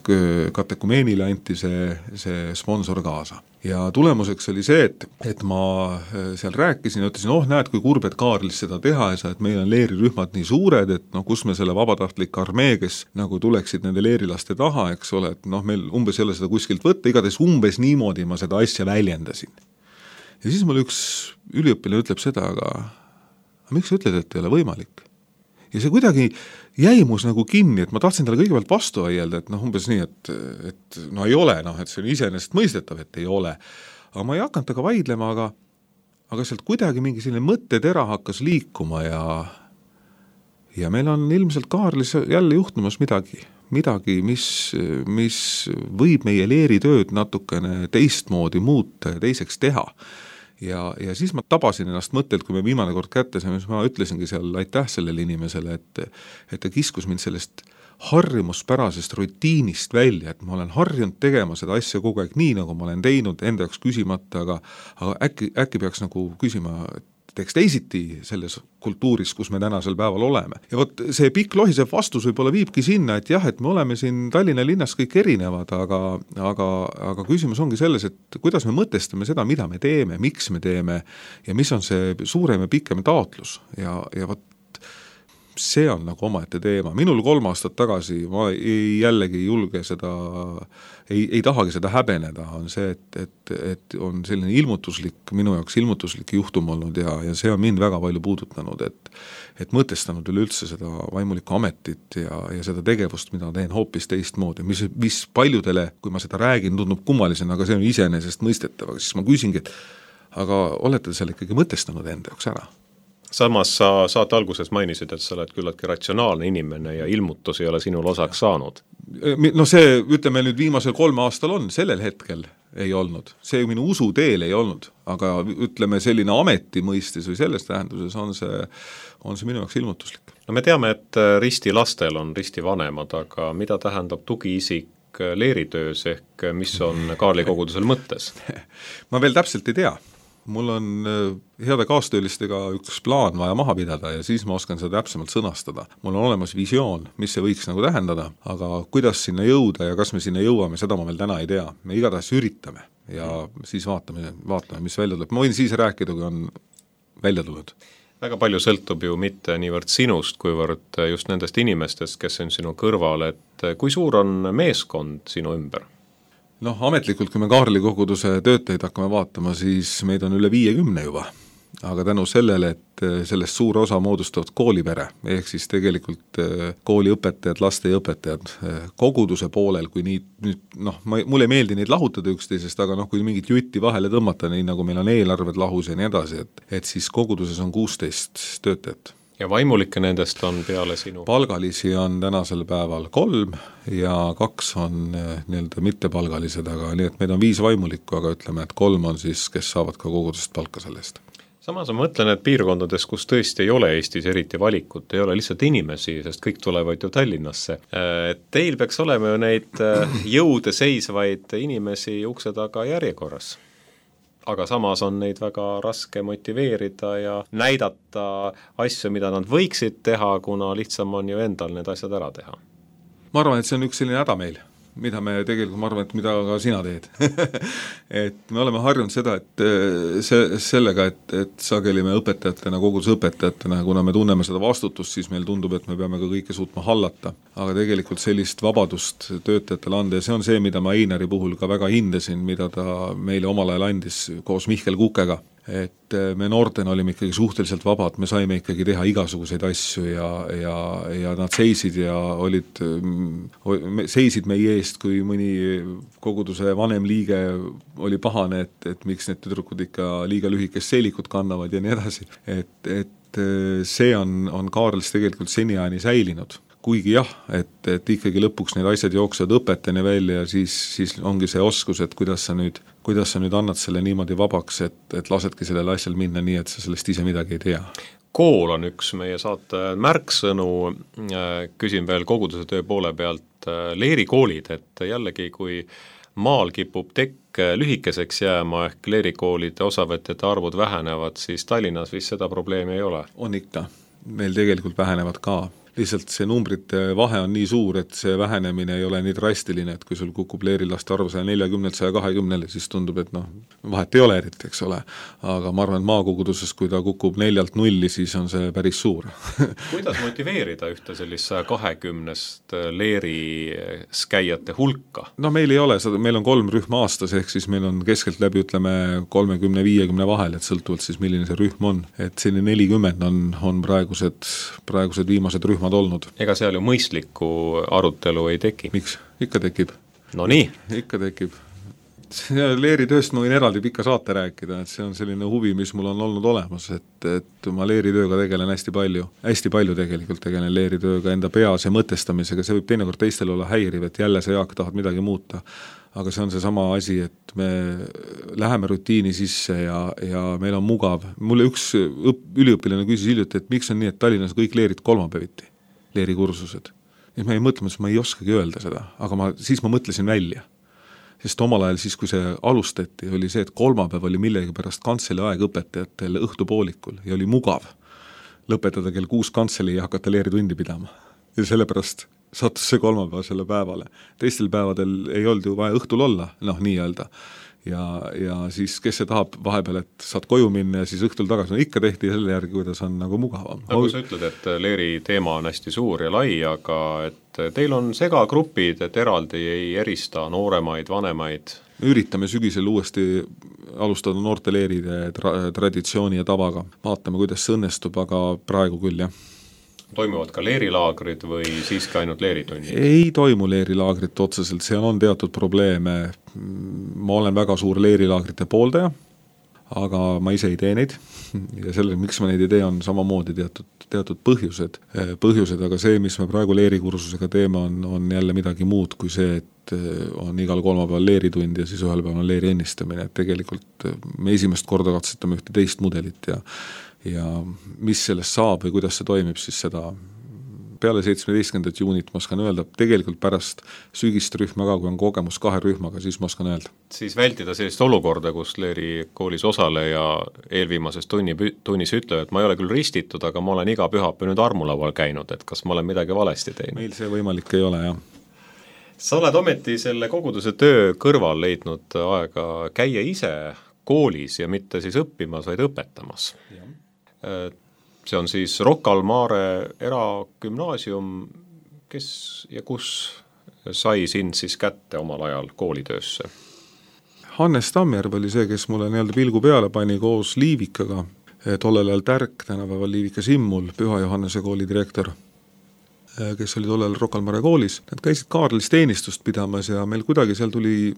katekumeenile anti see, see sponsor kaasa. Ja tulemuseks oli see, et, et ma seal rääkisin ja ütlesin, oh näed, kui kurb, et Kaarlis seda teha ei saa, et meil on leerirühmad nii suured, et noh, kus me selle vabatahtlik armee, kes nagu tuleksid nende leerilaste taha, eks ole, et noh, meil umbes ei ole seda kuskilt võtta, igatahes umbes niimoodi ma seda asja väljendasin. Ja siis mul üks üliõpilane ütleb seda, aga, aga miks sa ütled, et ei ole võimalik? Ja see kuidagi jäi mus nagu kinni, et ma tahtsin talle kõigepealt vastu aielda, et noh, umbes nii, et, et no ei ole, noh, et see on iseenesest mõistetav, et ei ole. Aga ma ei hakanud taga vaidlema, aga, aga sealt kuidagi mingi selline mõttetera hakkas liikuma ja, ja meil on ilmselt Kaarlis jälle juhtumas midagi, midagi, mis, mis võib meie leeritööd natukene teistmoodi muuta ja teiseks teha. Ja, ja siis ma tabasin ennast mõttelt, kui me viimane kord kätte saime, siis ma ütlesingi seal aitäh sellele inimesele, et, et ta kiskus mind sellest harjumuspärasest rutiinist välja, et ma olen harjunud tegema seda asja kogu aeg nii, nagu ma olen teinud, enda jaoks küsimata, aga, aga äkki, äkki peaks nagu küsima, teeks teisiti selles kultuuris, kus me tänasel päeval oleme. Ja vot see pikk lohisev vastus võib-olla viibki sinna, et jah, et me oleme siin Tallinna linnas kõik erinevad, aga, aga, aga küsimus ongi selles, et kuidas me mõtestame seda, mida me teeme, miks me teeme ja mis on see suurem ja pikem taotlus ja, ja vot see on nagu omaette teema. Minul kolm aastat tagasi, ma ei, jällegi julge seda, ei, ei tahagi seda häbeneda, on see, et, et, et on selline ilmutuslik, minu jaoks ilmutuslik juhtum olnud ja, ja see on mind väga palju puudutanud, et, et mõtestanud üleüldse seda vaimulikku ametit ja, ja seda tegevust, mida teen hoopis teistmoodi, mis, mis paljudele, kui ma seda räägin, tundub kummalisena, aga see on iseenesest mõistetav, siis ma küsingi, et aga olete selle ikkagi mõtestanud enda jaoks ära? Samas sa saate alguses mainisid, et sa oled küllaltki ratsionaalne inimene ja ilmutus ei ole sinul osaks saanud. No see, ütleme nüüd viimasel kolme aastal on, sellel hetkel ei olnud. See minu usu teel ei olnud, aga ütleme selline ameti mõistis või selles tähenduses on see, on see minu jaoks ilmutuslik. No me teame, et risti lastel on risti vanemad, aga mida tähendab tugiisik leeritöös ehk mis on Kaarli kogudusel mõttes? Ma veel täpselt ei tea. Mul on heade kaastöölistega üks plaan vaja maha pidada ja siis ma oskan seda täpsemalt sõnastada. Mul on olemas visioon, mis see võiks nagu tähendada, aga kuidas sinna jõuda ja kas me sinna jõuame, seda ma veel täna ei tea. Me igatahes üritame ja siis vaatame, vaatame, mis välja tuleb. Ma võin siis rääkida, kui on välja tulnud. Väga palju sõltub ju mitte niivõrd sinust, kuivõrd just nendest inimestest, kes on sinu kõrval, et kui suur on meeskond sinu ümber? Noh, ametlikult, kui me Kaarli koguduse töötajaid hakkame vaatama, siis meid on üle viiekümne juba. Aga tänu sellele, et sellest suur osa moodustavad koolipere, ehk siis tegelikult kooliõpetajad, lasteõpetajad, koguduse poolel, kui nii, noh, mulle ei meeldi neid lahutada üksteisest, aga noh, kui mingit jutti vahele tõmmata, nii nagu meil on eelarved lahus ja nii edasi, et, et siis koguduses on kuusteist töötajat. Ja vaimulikke nendest on peale sinu? Palgalisi on tänasel päeval kolm ja kaks on nii-öelda mittepalgalised, aga nii, et meid on viis vaimulikku, aga ütleme, et kolm on siis, kes saavad ka kogudust palka sellest. Samas ma mõtlen, et piirkondades, kus tõesti ei ole Eestis eriti valikut, ei ole lihtsalt inimesi, sest kõik tulevad ju Tallinnasse. Teil peaks olema ju neid jõude seisvaid inimesi ukse taga järjekorras. Aga samas on neid väga raske motiveerida ja näidata asju, mida nad võiksid teha, kuna lihtsam on ju endal need asjad ära teha. Ma arvan, et see on üks selline häda meil. mida me tegelikult, ma arvan, et mida ka sina teed et me oleme harjunud seda, et see, sellega, et, et sageli me õpetajatena, kogudusõpetajatena, kuna me tunneme seda vastutust, siis meil tundub, et me peame ka kõike suutma hallata. Aga tegelikult sellist vabadust töötajatele anda ja see on see, mida ma Einari puhul ka väga hindasin, mida ta meile omal ajal andis koos Mihkel Kukega. Et me noortena olime ikkagi suhteliselt vabad, me saime ikkagi teha igasuguseid asju ja, ja, ja nad seisid ja olid, seisid meie eest, kui mõni koguduse vanem liige oli pahane, et, et miks need tüdrukud ikka liiga lühikest seelikut kannavad ja nii edasi. Et, et see on, on Kaarlis tegelikult seniajani säilinud. Kuigi jah, et, et ikkagi lõpuks need asjad jooksevad õpetani välja ja siis, siis ongi see oskus, et kuidas sa nüüd, kuidas sa nüüd annad selle niimoodi vabaks, et, et lasedki sellele asjal minna nii, et sa sellest ise midagi ei tea. Kool on üks meie saate märksõnu, küsin veel koguduse töö poole pealt, leerikoolid, et jällegi kui maal kipub tekk lühikeseks jääma ehk leerikoolide osavõtjate arvud vähenevad, siis Tallinnas vist seda probleemi ei ole. On ikka, meil tegelikult vähenevad ka. Lihtsalt see numbrite vahe on nii suur, et see vähenemine ei ole nii drastiline, et kui sul kukub leerilaste arv saja neljakümnelt saja kahekümnele, siis tundub, et noh, vahet ei ole eriti, eks ole. Aga ma arvan, et maakoguduses, kui ta kukub neljalt nulli, siis on see päris suur. Kuidas motiveerida ühte sellist saja kahekümnest leeris käijate hulka? No meil ei ole, meil on kolm rühma aastas, ehk siis meil on keskelt läbi, ütleme, kolmekümne viiekümne vahel, et sõltuvalt siis milline see rühm on. Et selline nelikümmend on, on praegused, praegused viimased rühmad olnud. Ega seal ju mõistlikku arutelu ei teki. Miks? Ikka tekib. No nii. Ikka tekib. Leeritööst ma võin eraldi pikka saate rääkida, et see on selline huvi, mis mul on olnud olemas, et, et ma leeritööga tegelen hästi palju. Hästi palju tegelikult tegelen leeritööga enda peas ja mõtestamisega, see võib teinekord teistel olla häiriv, et jälle sa Jaak tahad midagi muuta. Aga see on see sama asi, et me läheme rutiini sisse ja, ja meil on mugav. Mulle üks õp, üliõpilane küsis hiljuti, et miks on nii, et Tallinnas kõik leerid kolmapäeviti, leerikursused. Ja ma ei mõtle, et ma ei oskagi öelda seda, aga ma, siis ma mõtlesin välja. Sest omal ajal siis, kui see alustati, oli see, et kolmapäev oli millegi pärast kantseli aeg õpetajatel õhtupoolikul ja oli mugav lõpetada kell kuus kantseli ja hakata leeritundi pidama. Ja sellepärast sattus see kolmapäevasele päevale. Teistel päevadel ei olnud ju vaja õhtul olla, noh nii öelda. Ja, ja siis kes see tahab vahepeal, et saad koju minna ja siis õhtul tagasi, no ikka tehti selle järgi, kuidas on nagu mugavam. Nagu sa ütled, et leeri teema on hästi suur ja lai, aga et teil on segagrupid, et eraldi ei erista nooremaid, vanemaid. Me üritame sügisel uuesti alustada noorteleeride tra- traditsiooni ja tavaga. Vaatame, kuidas see õnnestub, aga praegu küll, jah. Toimuvad ka leerilaagrid või siiski ainult leeritunnid? Ei toimu leerilaagrit otseselt, seal on teatud probleeme. Ma olen väga suur leerilaagrite pooldaja, aga ma ise ei tee neid. Ja selle, miks ma neid ei tee, on samamoodi teatud, teatud põhjused. põhjused, aga see, mis me praegu leerikursusega teeme, on, on jälle midagi muud kui see, et on igal kolmapäeval leeritund ja siis ühel päeval on leeri ennistamine. Et tegelikult me esimest korda katsetame ühte teist mudelit ja ja mis sellest saab või kuidas see toimib, siis seda peale seitsmeteistkümnendat juunit ma oskan öelda, tegelikult pärast sügist rühma ka, kui on kogemus kahe rühmaga, siis ma oskan öelda. Siis vältida sellist olukorda, kus leeri koolis osaleja eelviimases tunni, tunnis ütleb, et ma ei ole küll ristitud, aga ma olen iga pühapäev nüüd armulaual käinud, et kas ma olen midagi valesti teinud. Meil see võimalik ei ole, jah. Sa oled ometi selle koguduse töö kõrval leidnud aega käia ise koolis ja mitte siis õppimas, vaid õpetamas. Ja. See on siis Rocca al Mare eragümnaasium, kes ja kus sai sind siis kätte omal ajal koolitöösse? Hannes Tammjärv oli see, kes mulle nii-öelda pilgu peale pani koos Liivikaga, tollel ajal Tärk, tänapäeval Liivika Simmul, Püha Johannese kooli direktor, kes oli tollel Rocca al Mare koolis. Nad käisid Kaarlis teenistust pidamas ja meil kuidagi seal tuli,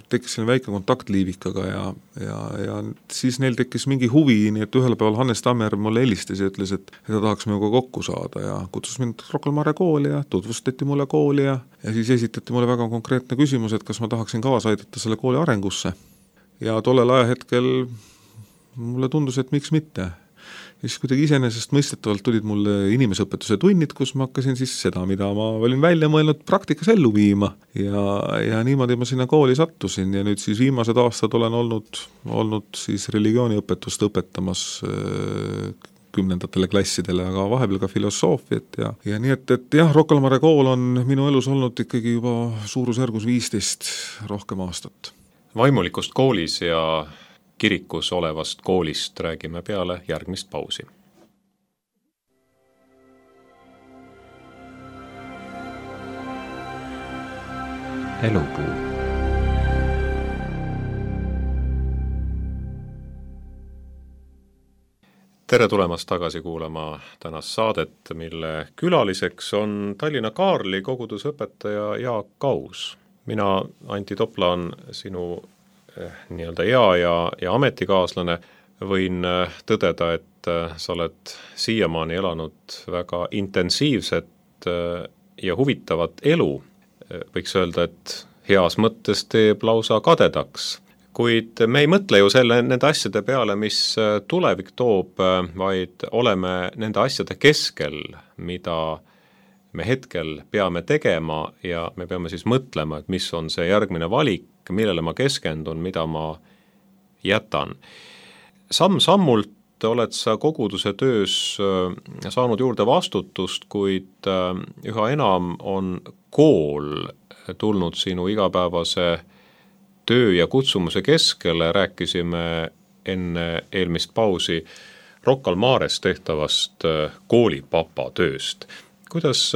tekkis selline väike kontakt Liivikaga ja, ja, ja siis neil tekkis mingi huvi, nii et ühel päeval Hannes Tammjärv mulle helistas ja ütles, et ta tahaks minuga kokku saada ja kutsus mind Rocca al Mare kooli ja tutvustati mulle kooli ja, ja siis esitati mulle väga konkreetne küsimus, et kas ma tahaksin kaasa aidata selle kooli arengusse. Ja tollel ajahetkel mulle tundus, et miks mitte. Ja siis kuidagi iseenesest mõistetavalt tulid mulle inimesõpetuse tunnid, kus ma hakkasin siis seda, mida ma olin välja mõelnud praktikas ellu viima. Ja, ja niimoodi ma sinna kooli sattusin ja nüüd siis viimased aastad olen olnud, olnud siis religiooniõpetust õpetamas kümnendatele klassidele, aga vahepeal ka filosoofiat ja, ja nii et, et jah, Rocca al Mare kool on minu elus olnud ikkagi juba suurusjärgus viisteist rohkem aastat. Vaimulikust koolis ja kirikus olevast koolist räägime peale järgmist pausi. Elupuu. Tere tulemast tagasi kuulama tänast saadet, mille külaliseks on Tallinna Kaarli kogudusõpetaja Jaak Aus. Mina, Antti Toplaan, sinu eh, nii-öelda ea ja, ja ametikaaslane, võin tõdeda, et sa oled siiamaani elanud väga intensiivset ja huvitavat elu. Võiks öelda, et heas mõttes teeb lausa kadedaks. Kuid me ei mõtle ju selle, nende asjade peale, mis tulevik toob, vaid oleme nende asjade keskel, mida me hetkel peame tegema ja me peame siis mõtlema, et mis on see järgmine valik, millele ma keskendun, mida ma jätan. Samm-sammult oled sa koguduse töös saanud juurde vastutust, kuid üha enam on kool tulnud sinu igapäevase töö ja kutsumuse keskele. Rääkisime enne eelmist pausi Rocca al Mares tehtavast koolipapa tööst. Kuidas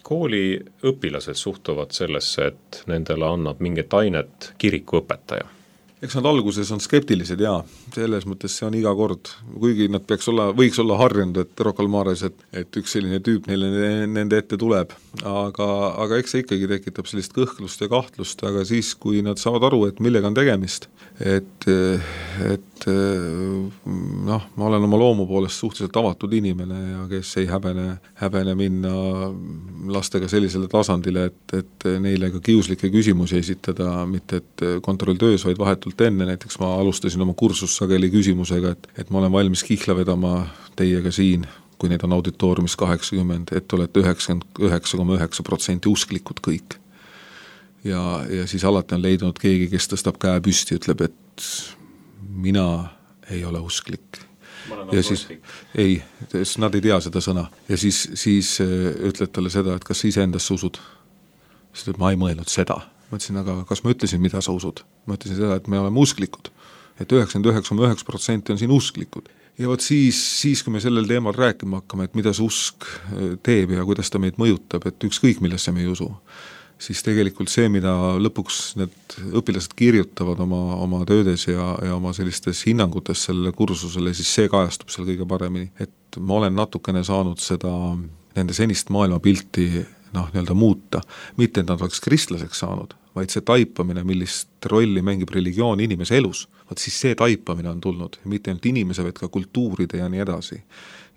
kooli õpilased suhtuvad sellesse, et nendele annab mingit ainet kirikuõpetaja? Eks nad alguses on skeptilised, jaa, selles mõttes see on iga kord, kuigi nad peaks olla, võiks olla harjunud, et Rocca al Mares, et, et üks selline tüüp neile nende ette tuleb, aga, aga eks see ikkagi tekitab sellist kõhklust ja kahtlust, aga siis, kui nad saavad aru, et millega on tegemist, et, et noh, ma olen oma loomu poolest suhteliselt avatud inimene ja kes ei häbene, häbene minna lastega sellisele tasandile, et, et neile ka kiuslikke küsimusi esitada, mitte et kontrolltöös, vaid vahetult enne, näiteks ma alustasin oma kursus sageli küsimusega, et, et ma olen valmis kihla vedama teiega siin, kui neid on auditooriumis kaheksakümmend, et olete üheksakümmend üheksa koma üheksa protsenti usklikud kõik. Ja, ja siis alati on leidunud keegi, kes tõstab käe püsti, ütleb, et mina ei ole usklik. Ja siis, ei, nad ei tea seda sõna. Ja siis, siis ütled talle seda, et kas sa ise endasse usud? Siis ütleb, ma ei mõelnud seda. Ma ütlesin, aga kas ma ütlesin, mida sa usud? Ma ütlesin seda, et me oleme usklikud. Et üheksakümmend üheksa koma üheksa protsenti on siin usklikud. Ja võt siis, siis, kui me sellel teemal rääkima hakkame, et mida see usk teeb ja kuidas ta meid mõjutab, et ükskõik millesse me ei usu, siis tegelikult see, mida lõpuks need õpilased kirjutavad oma, oma töödes ja, ja oma sellistes hinnangutes sellele kursusele, siis see kajastub seal kõige paremini. Et ma olen natukene saanud seda nende senist maailmapilti noh, nii-öelda muuta. Mitte, et nad oleks kristlaseks saanud, vaid see taipamine, millist rolli mängib religioon inimese elus. Vaat siis see taipamine on tulnud, mitte ainult inimese, vaid ka kultuuride ja nii edasi.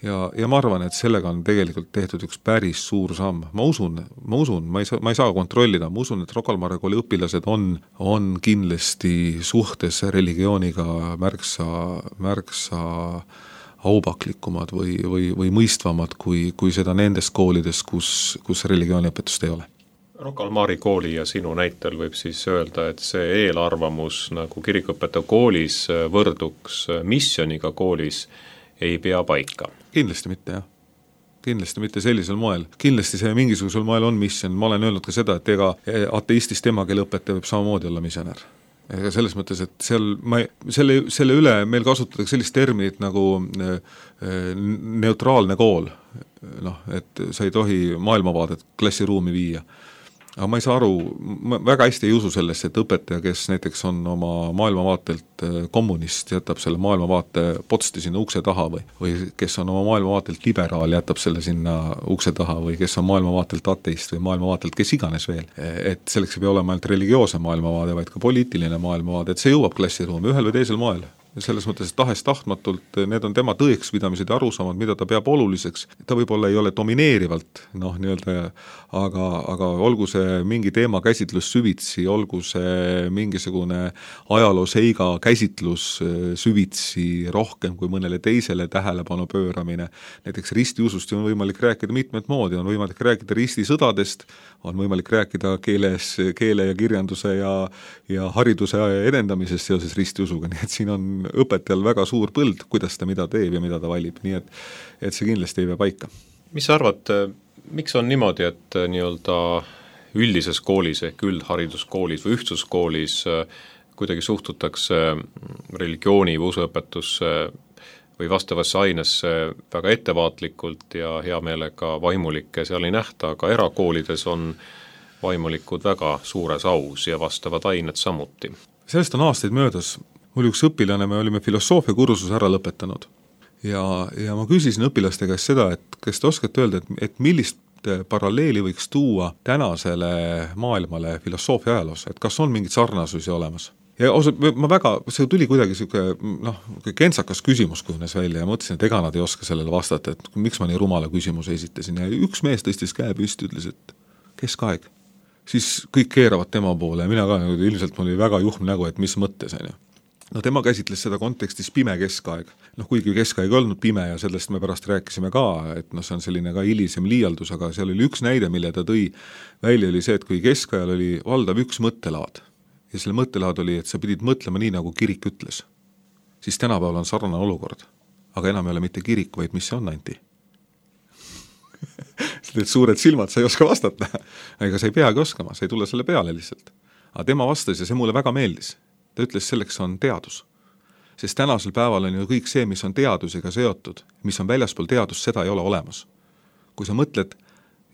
Ja, ja ma arvan, et sellega on tegelikult tehtud üks päris suur samm. Ma usun, ma usun, ma ei saa, ma ei saa kontrollida, ma usun, et Rocca al Mare kooli õpilased on, on kindlasti suhtes religiooniga märksa, märksa aupaklikumad või, või, või mõistvamad kui, kui seda nendes koolides, kus, kus religiooniõpetust ei ole. Rocca al Mare kooli ja sinu näitel võib siis öelda, et see eelarvamus nagu kirikuõpetaja koolis võrduks missioniga koolis ei pea paika. Kindlasti mitte, jah. Kindlasti mitte sellisel moel. Kindlasti see mingisugusel moel on mission. Ma olen öelnud ka seda, et ega ateistist emakeele õpetaja võib samamoodi olla missionär. Ega selles mõttes, et seal, ma, selle, selle üle meil kasutatakse sellist terminit nagu neutraalne kool. Noh, et sa ei tohi maailmavaadet klassiruumi viia. Aga ma ei saa aru, ma väga hästi ei usu sellesse, et õpetaja, kes näiteks on oma maailmavaatelt kommunist, jätab selle maailmavaate potsti sinna ukse taha või, või kes on oma maailmavaatelt liberaal, jätab selle sinna ukse taha või kes on maailmavaatelt ateist või maailmavaatelt, kes iganes veel. Et selleks ei pea olema ainult religioose maailmavaade, vaid ka poliitiline maailmavaade, et see jõuab klassiruumi ühel või teisel moel. Selles mõttes, et tahes tahtmatult need on tema tõekspidamised ja arusaamad, mida ta peab oluliseks. Ta võib-olla ei ole domineerivalt, noh, nii-öelda, aga, aga olgu see mingi teema käsitlus süvitsi, olgu see mingisugune ajalooseiga käsitlus süvitsi rohkem kui mõnele teisele tähelepanu pööramine. Näiteks ristiusust on võimalik rääkida mitmed moodi, on võimalik rääkida ristisõdadest, on võimalik rääkida keeles, keele ja kirjanduse ja, ja hariduse edendamisest seoses ristiusuga, nii et siin on õpetajal väga suur põld, kuidas ta mida teeb ja mida ta valib, nii et, et see kindlasti ei pea paika. Mis sa arvad, miks on niimoodi, et nii-öelda üldises koolis ehk üldhariduskoolis või ühtsuskoolis kuidagi suhtutakse religiooni või usuõpetusse või vastavasse ainesse väga ettevaatlikult ja hea meelega vaimulikke seal ei nähta, aga erakoolides on vaimulikud väga suures aus ja vastavad ained samuti. Sellest on aastaid möödas. Mul üks õpilane, me olime filosoofia kursuse ära lõpetanud ja, ja ma küsisin õpilaste käest seda, et kas te oskate öelda, et, et millist paralleeli võiks tuua tänasele maailmale filosoofia ajaloos, et kas on mingid sarnasusi olemas? Ja osad, ma väga, see tuli kuidagi siuke, noh, kentsakas küsimus kujunes välja ja mõtlesin, et ega nad ei oska sellele vastata, et miks ma nii rumala küsimuse esitasin ja üks mees tõstis käe püsti, ütles, et keskaeg. Siis kõik keeravad tema poole ja mina ka, ilmselt mul oli väga juhm nägu, et mis mõttes on ju. No tema käsitles seda kontekstis pime keskaeg. Noh, kuigi keskaeg olnud pime ja sellest me pärast rääkisime ka, et noh, see on selline ka hilisem liialdus, aga seal oli üks näide, mille ta tõi välja, oli see, et kui keskajal oli valdav üks mõttelaad ja selle mõttelaad oli, et sa pidid mõtlema nii, nagu kirik ütles, siis tänapäeval on sarnane olukord, aga enam ei ole mitte kirik, vaid mis see on, Anti? Need suured silmad, sa ei oska vastata, ega sa ei peagi oskama, sa ei tule selle peale lihtsalt. Aga tema vastas ja see mulle väga meeldis. Ta ütles, selleks on teadus. Sest tänasel päeval on ju kõik see, mis on teadusega seotud, mis on väljaspool teadust, seda ei ole olemas. Kui sa mõtled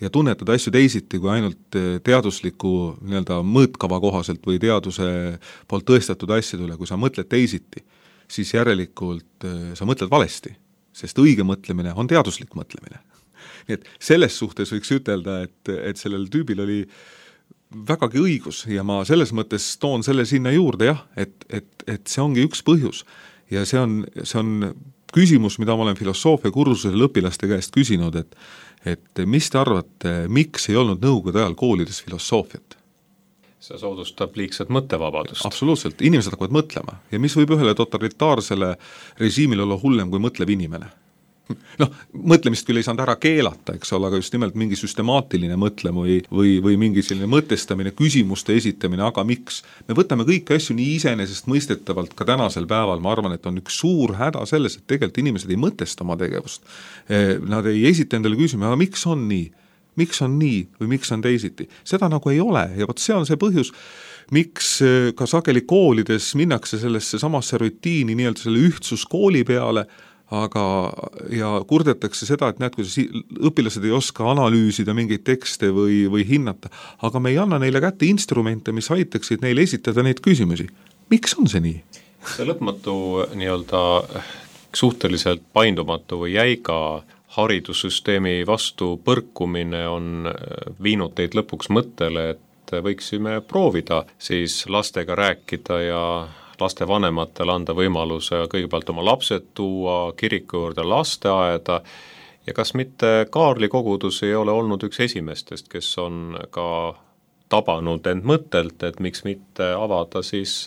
ja tunnetad asju teisiti kui ainult teadusliku nii-öelda mõõtkava kohaselt või teaduse poolt tõestatud asjadele, kui sa mõtled teisiti, siis järelikult sa mõtled valesti, sest õige mõtlemine on teaduslik mõtlemine. Nii et selles suhtes võiks ütelda, et, et sellel tüübil oli vägagi õigus ja ma selles mõttes toon selle sinna juurde jah, et, et, et see ongi üks põhjus ja see on, see on küsimus, mida ma olen filosoofia kursusel õpilaste käest küsinud, et, et mis te arvate, miks ei olnud nõukogude ajal koolides filosoofiat? See soodustab liigset mõttevabadust. Absoluutselt, inimesed hakkavad mõtlema ja mis võib ühele totalitaarsele režiimile olla hullem kui mõtlev inimene? Noh, mõtlemist küll ei saanud ära keelata, eks ole, aga just nimelt mingi süstemaatiline mõtlem või, või, või mingi selline mõtestamine, küsimuste esitamine, aga miks? Me võtame kõiki asju nii iseenesest mõistetavalt ka tänasel päeval, ma arvan, et on üks suur häda selles, et tegelikult inimesed ei mõtesta oma tegevust. Nad ei esita endale küsima, aga miks on nii? Miks on nii või miks on teisiti? Seda nagu ei ole ja võt see on see põhjus, miks ka sageli koolides minnakse sellesse samasse rutiini nii-öelda selle ühtsuskooli peale, aga ja kurdetakse seda, et näed, kuidas õpilased ei oska analüüsida mingeid tekste või, või hinnata, aga me ei anna neile kätte instrumente, mis aitaksid neile esitada neid küsimusi. Miks on see nii? See lõpmatu nii-öelda suhteliselt paindumatu või jäiga haridussüsteemi vastu põrkumine on viinud teid lõpuks mõttele, et võiksime proovida siis lastega rääkida ja laste vanematel anda võimaluse kõigepealt oma lapsed tuua kiriku juurde lasteaeda ja kas mitte Kaarli kogudus ei ole olnud üks esimestest, kes on ka tabanud end mõttelt, et miks mitte avada siis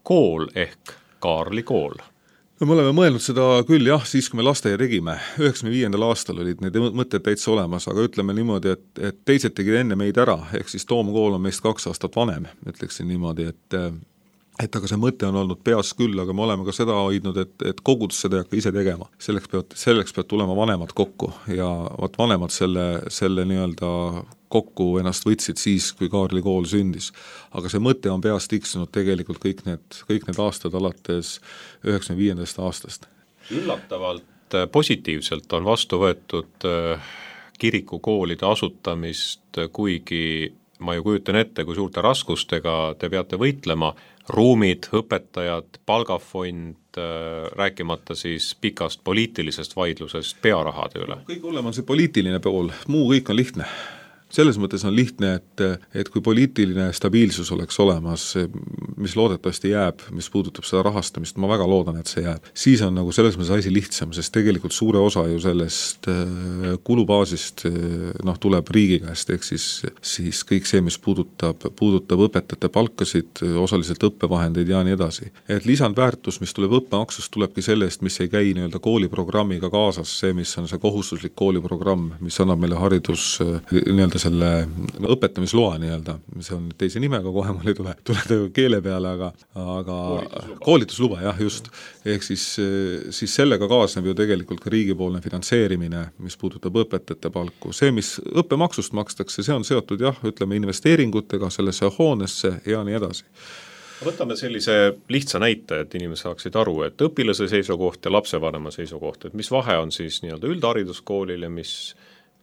kool ehk Kaarli kool? No me oleme mõelnud seda küll jah, siis kui me lasteaia tegime, üheksakümne viiendal aastal olid need mõtted täitsa olemas, aga ütleme niimoodi, et, et teised tegid enne meid ära, ehk siis Toomkool on meist kaks aastat vanem, ütleksin niimoodi, et et aga see mõte on olnud peas küll, aga me oleme ka seda hoidnud, et, et kogudus seda ei hakka ise tegema. Selleks peavad, selleks peavad tulema vanemad kokku ja vaat vanemad selle, selle nii-öelda kokku ennast võtsid siis, kui Kaarli kool sündis. Aga see mõte on peas tiksunud tegelikult kõik need, kõik need aastad alates üheksakümne viiendast aastast. Üllatavalt positiivselt on vastu võetud kirikukoolide asutamist, kuigi ma ju kujutan ette, kui suurte raskustega te peate võitlema, ruumid, õpetajad, palgafond, rääkimata siis pikast poliitilisest vaidlusest pearahade üle. Kõik hullem on see poliitiline pool, muu kõik on lihtne. Selles mõttes on lihtne, et, et kui poliitiline stabiilsus oleks olemas, mis loodetavasti jääb, mis puudutab seda rahastamist, ma väga loodan, et see jääb, siis on nagu selles mõttes asi lihtsam, sest tegelikult suure osa ju sellest kulubaasist noh, tuleb riigi käest, ehk siis, siis kõik see, mis puudutab, puudutab õpetajate palkasid, osaliselt õppevahendeid ja nii edasi. Et lisandväärtus, mis tuleb õppemaksust, tulebki sellest, mis ei käi nii-öelda kooliprogrammiga kaasas, see, mis on see kohustuslik kooliprogramm, mis annab meile haridus nii-öelda selle õpetamisloa nii-öelda, see on teise nimega, kohe mul ei tule, tule keele peale, aga, aga koolitusluba, koolitusluba jah, just. Ehk siis, siis sellega kaasneb ju tegelikult ka riigipoolne finantseerimine, mis puudutab õpetajate palku. See, mis õppemaksust makstakse, see on seotud jah, ütleme investeeringutega sellesse hoonesse ja nii edasi. Võtame sellise lihtsa näite, et inimesed saaksid aru, et õpilase seisukoht ja lapsevanema seisukoht, et mis vahe on siis nii-öelda üldhariduskoolil ja mis,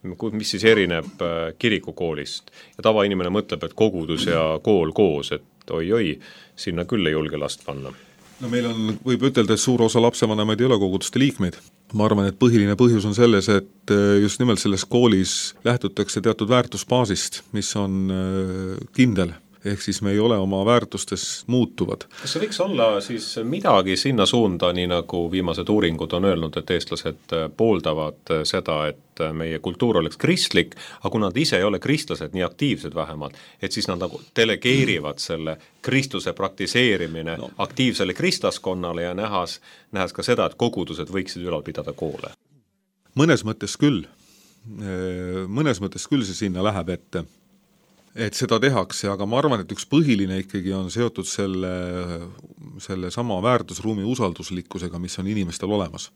mis siis erineb kirikukoolist. Ja tavainimene mõtleb, et kogudus ja kool koos, et oi-oi, sinna küll ei julge last panna. No meil on, võib ütelda, et suur osa lapsevanemaid ei ole koguduste liikmeid. Ma arvan, et põhiline põhjus on selles, et just nimelt selles koolis lähtutakse teatud väärtusbaasist, mis on kindel. Ehk siis me ei ole oma väärtustes muutuvad. Kas see võiks olla siis midagi sinna suunda, nii nagu viimased uuringud on öelnud, et eestlased pooldavad seda, et meie kultuur oleks kristlik, aga kui nad ise ei ole kristlased, nii aktiivsed vähemalt, et siis nad nagu delegeerivad selle kristluse praktiseerimine no. aktiivsele kristlaskonnale ja nähas, nähes ka seda, et kogudused võiksid ülal pidada koole. Mõnes mõttes küll, mõnes mõttes küll see sinna läheb ette, et seda tehakse, aga ma arvan, et üks põhiline ikkagi on seotud selle, selle sama väärtusruumi usalduslikkusega, mis on inimestel olemas.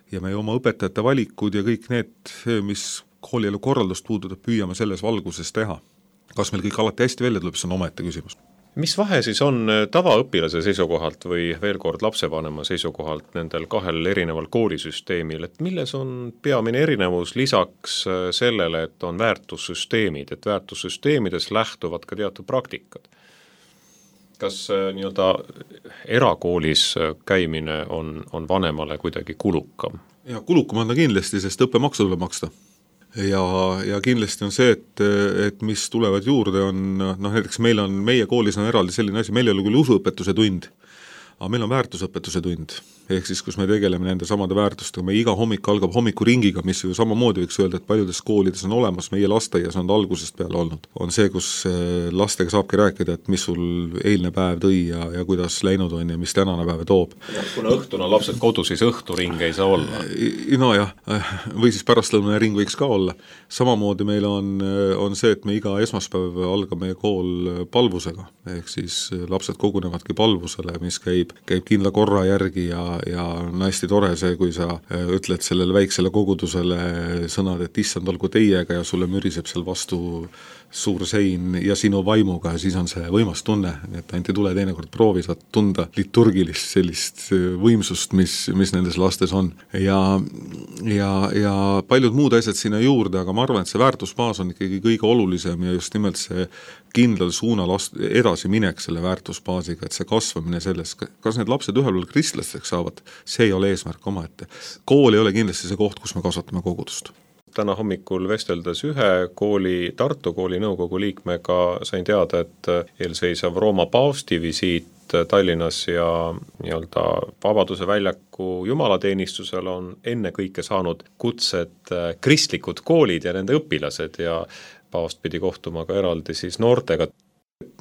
Ja me oma õpetajate valikud ja kõik need, mis koolielu korraldust puudutab, püüame selles valguses teha. Kas meil kõik alati hästi välja tuleb, see on omaette küsimus. Mis vahe siis on tavaõpilase seisukohalt või veel kord lapsevanema seisukohalt nendel kahel erineval koolisüsteemil, et milles on peamine erinevus lisaks sellele, et on väärtussüsteemid, et väärtussüsteemides lähtuvad ka teatud praktikad? Kas nii-öelda erakoolis käimine on, on vanemale kuidagi kulukam? Ja kulukam on ta kindlasti, sest õppemaksu tuleb maksta. Ja, ja kindlasti on see, et, et mis tulevad juurde on, noh näiteks meil on, meie koolis on eraldi selline asi, meil ei ole küll usuõpetuse tund, aga meil on väärtusõpetuse tund, ehk siis kus me tegeleme nende samade väärtustega, me iga hommik algab hommikuringiga, mis ju samamoodi võiks öelda, et paljudes koolides on olemas, meie lastaias on algusest peale olnud. On see, kus lastega saabki rääkida, et mis sul eilne päev tõi ja, ja kuidas läinud on ja mis tänane päev toob. Ja, kuna õhtuna lapsed kodu, siis õhturing ei saa olla. No jah, või siis pärastlõunane ring võiks ka olla. Samamoodi meil on, on see, et me iga esmaspäev algab meie kool palvusega, ehk siis lapsed kogunevadki palvusele, mis käib, käib kindla korra järgi ja ja on hästi tore see, kui sa ütled sellele väiksele kogudusele sõnad, et issand olgu teiega ja sulle müriseb seal vastu suur sein ja sinu vaimuga ja siis on see võimas tunne, et ainult ei tule teinekord proovi, saad tunda liturgilist sellist võimsust, mis, mis nendes lastes on. Ja, ja, ja paljud muud asjad sinna juurde, aga ma arvan, et see väärtusbaas on ikkagi kõige olulisem ja just nimelt see kindlal suunal edasi minek selle väärtusbaasiga, et see kasvamine selles, kas need lapsed ühel pool kristlasteks saavad, see ei ole eesmärk omaette. Kool ei ole kindlasti see koht, kus me kasvatame kogudust. Täna hommikul vesteldes ühe kooli, Tartu kooli nõukogu liikmega sain teada, et eelseisav Rooma paavsti visiit Tallinnas ja nii-öelda Vabaduse väljaku jumalateenistusel on enne kõike saanud kutsed kristlikud koolid ja nende õpilased ja paavst pidi kohtuma ka eraldi siis noortega.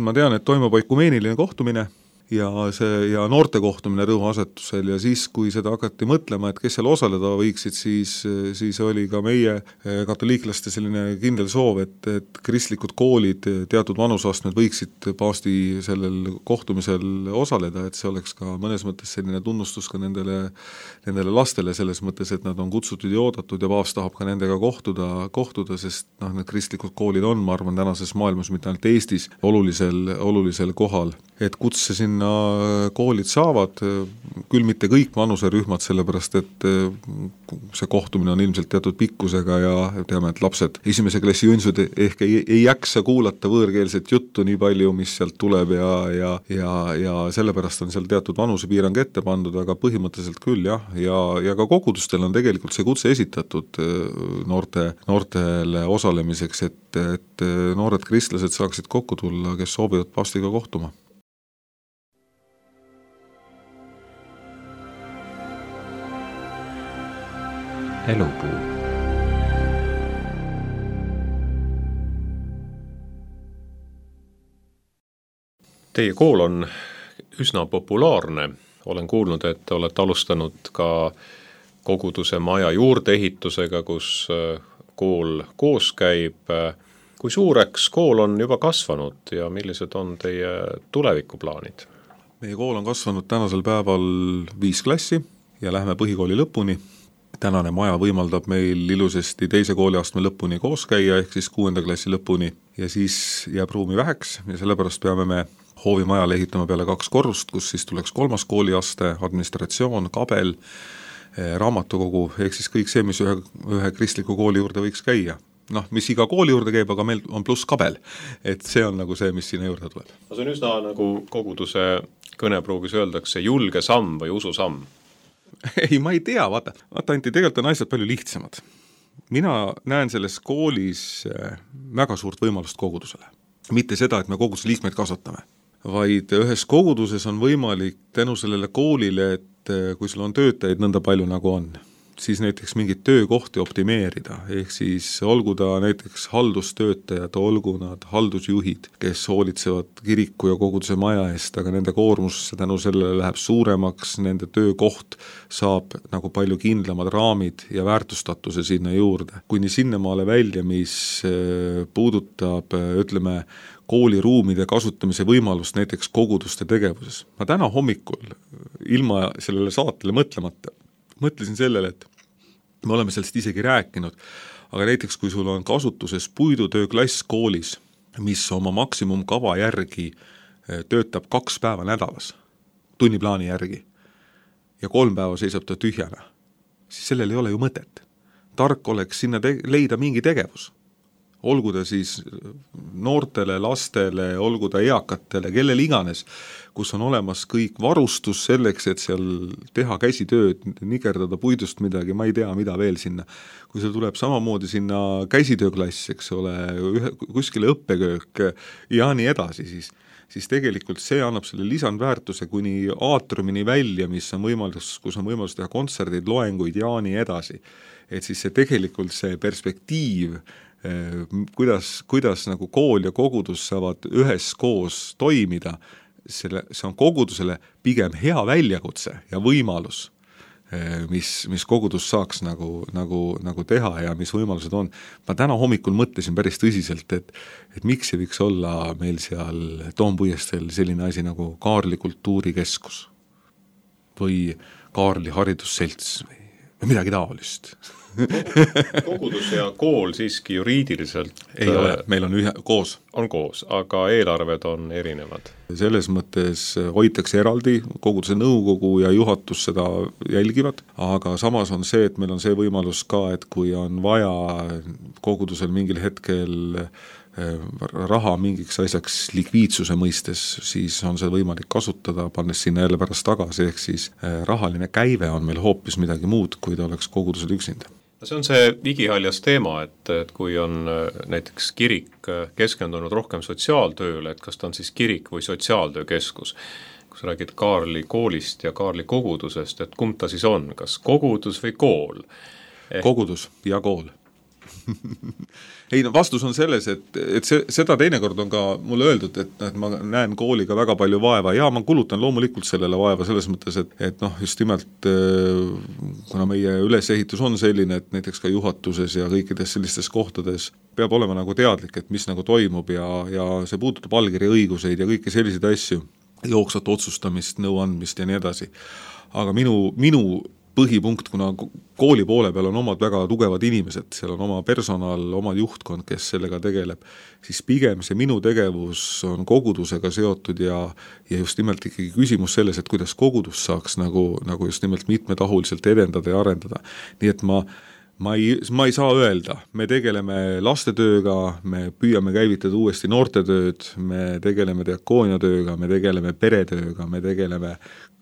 Ma tean, et toimub oikumeeniline kohtumine ja see ja noorte kohtumine rõhuasetusel ja siis, kui seda hakati mõtlema, et kes seal osaleda võiksid, siis, siis oli ka meie katoliiklaste selline kindel soov, et, et kristlikud koolid, teatud vanusastmed võiksid paavsti sellel kohtumisel osaleda, et see oleks ka mõnes mõttes selline tunnustus ka nendele, nendele lastele selles mõttes, et nad on kutsutud ja oodatud ja paavst tahab ka nendega kohtuda, kohtuda, sest noh, need kristlikud koolid on, ma arvan, tänases maailmas, mitte ainult Eestis, olulisel, olulisel kohal. Et kutse sinna koolid saavad, küll mitte kõik vanuserühmad, sellepärast et see kohtumine on ilmselt teatud pikkusega ja teame, et lapsed esimese klassi jõnsud ehk ei, ei jaksa kuulata võõrkeelset juttu nii palju, mis sealt tuleb ja, ja, ja, ja sellepärast on seal teatud vanusepiirang ette pandud, aga põhimõtteliselt küll jah, ja, ja ka kogudustel on tegelikult see kutse esitatud noorte, noortele osalemiseks, et, et noored kristlased saaksid kokku tulla, kes soovivad paavstiga kohtuma. Elupuu. Teie kool on üsna populaarne. Olen kuulnud, et olete alustanud ka koguduse maja juurdeehitusega, kus kool koos käib. kui suureks kool on juba kasvanud ja millised on teie tulevikuplaanid? Meie kool on kasvanud tänasel päeval viis klassi ja lähme põhikooli lõpuni. Tänane maja võimaldab meil ilusasti teise kooliastme lõpuni koos käia, ehk siis kuuenda klassi lõpuni, ja siis jääb ruumi väheks ja sellepärast peame me hoovimajale ehitama peale kaks korrust, kus siis tuleks kolmas kooliaste, administratsioon, kabel, raamatukogu, ehk siis kõik see, mis ühe, ühe kristliku kooli juurde võiks käia. Noh, mis iga kooli juurde käib, aga meil on pluss kabel, et see on nagu see, mis sinna juurde tuleb. See on üsna nagu koguduse kõnepruugis öeldakse julge samm või usu samm. Ei, ma ei tea, vaata, vaata Anti, tegelikult on asjad palju lihtsamad. Mina näen selles koolis väga suurt võimalust kogudusele. Mitte seda, et me koguduse liikmeid kasvatame, vaid ühes koguduses on võimalik tänu sellele koolile, et kui sul on töötajaid nõnda palju nagu on, siis näiteks mingit töökohti optimeerida, ehk siis olgu ta näiteks haldustöötajad, olgu nad haldusjuhid, kes hoolitsevad kiriku ja koguduse maja eest, aga nende koormus tänu sellele läheb suuremaks, nende töökoht saab nagu palju kindlamad raamid ja väärtustatuse sinna juurde. Kuni sinnamaale välja, mis puudutab, ütleme, kooliruumide kasutamise võimalust näiteks koguduste tegevuses. Ma täna hommikul ilma sellele saatele mõtlemata mõtlesin sellele, et me oleme sellest isegi rääkinud, aga näiteks kui sul on kasutuses puidutööklass koolis, mis oma maksimumkava järgi töötab kaks päeva nädalas, tunniplaani järgi, ja kolm päeva seisab ta tühjana, siis sellel ei ole ju mõtet. Tark oleks sinna te- leida mingi tegevus. Olgu ta siis noortele, lastele, olgu ta eakatele, kellel iganes, kus on olemas kõik varustus selleks, et seal teha käsitööd, nikerdada puidust midagi, ma ei tea, mida veel sinna. Kui see tuleb samamoodi sinna käsitööklass, eks ole, ühe, kuskile õppeköök ja nii edasi, siis, siis tegelikult see annab selle lisandväärtuse kuni aatrumini välja, mis on võimalus, kus on võimalus teha kontserdid, loenguid ja nii edasi. Et siis see tegelikult see perspektiiv, kuidas, kuidas nagu kool ja kogudus saavad ühes koos toimida, selle, see on kogudusele pigem hea väljakutse ja võimalus, mis, mis kogudus saaks nagu, nagu, nagu teha ja mis võimalused on. Ma täna hommikul mõtlesin päris tõsiselt, et, et miks ei võiks olla meil seal Toompuiestel selline asi nagu Kaarli kultuurikeskus või Kaarli haridusselts või, või midagi taolist. Kogudus ja kool siiski juriidiliselt ei ole, meil on ühe, koos. On koos, aga eelarved on erinevad. Selles mõttes hoitakse eraldi, koguduse nõukogu ja juhatus seda jälgivad, aga samas on see, et meil on see võimalus ka, et kui on vaja kogudusel mingil hetkel raha mingiks asjaks likviidsuse mõistes, siis on see võimalik kasutada, pannes sinna jälle pärast tagasi, ehk siis rahaline käive on meil hoopis midagi muud, kui ta oleks kogudusel üksinda. See on see igihaljas teema, et, et kui on näiteks kirik keskendunud rohkem sotsiaaltööle, et kas ta on siis kirik või sotsiaaltöökeskus. Kui sa räägid Kaarli koolist ja Kaarli kogudusest, et kumb ta siis on, kas kogudus või kool? Ehk... Kogudus ja kool. Ei, no vastus on selles, et, et see, seda teinekord on ka mulle öeldud, et, et ma näen kooliga väga palju vaeva ja ma kulutan loomulikult sellele vaeva selles mõttes, et, et noh, just nimelt kuna meie ülesehitus on selline, et näiteks ka juhatuses ja kõikides sellistes kohtades peab olema nagu teadlik, et mis nagu toimub ja, ja see puudutab allkirja õiguseid ja kõiki selliseid asju, jooksvat otsustamist, nõuandmist ja nii edasi. Aga minu, minu põhipunkt, kuna kooli poole peal on omad väga tugevad inimesed, seal on oma personal, oma juhtkond, kes sellega tegeleb, siis pigem see minu tegevus on kogudusega seotud ja, ja just nimelt ikkagi küsimus selles, et kuidas kogudus saaks nagu, nagu just nimelt mitmetahuliselt edendada ja arendada. Nii et ma Ma ei, ma ei saa öelda, me tegeleme lastetööga, me püüame käivitada uuesti noortetööd, me tegeleme diakooniatööga, me tegeleme peretööga, me tegeleme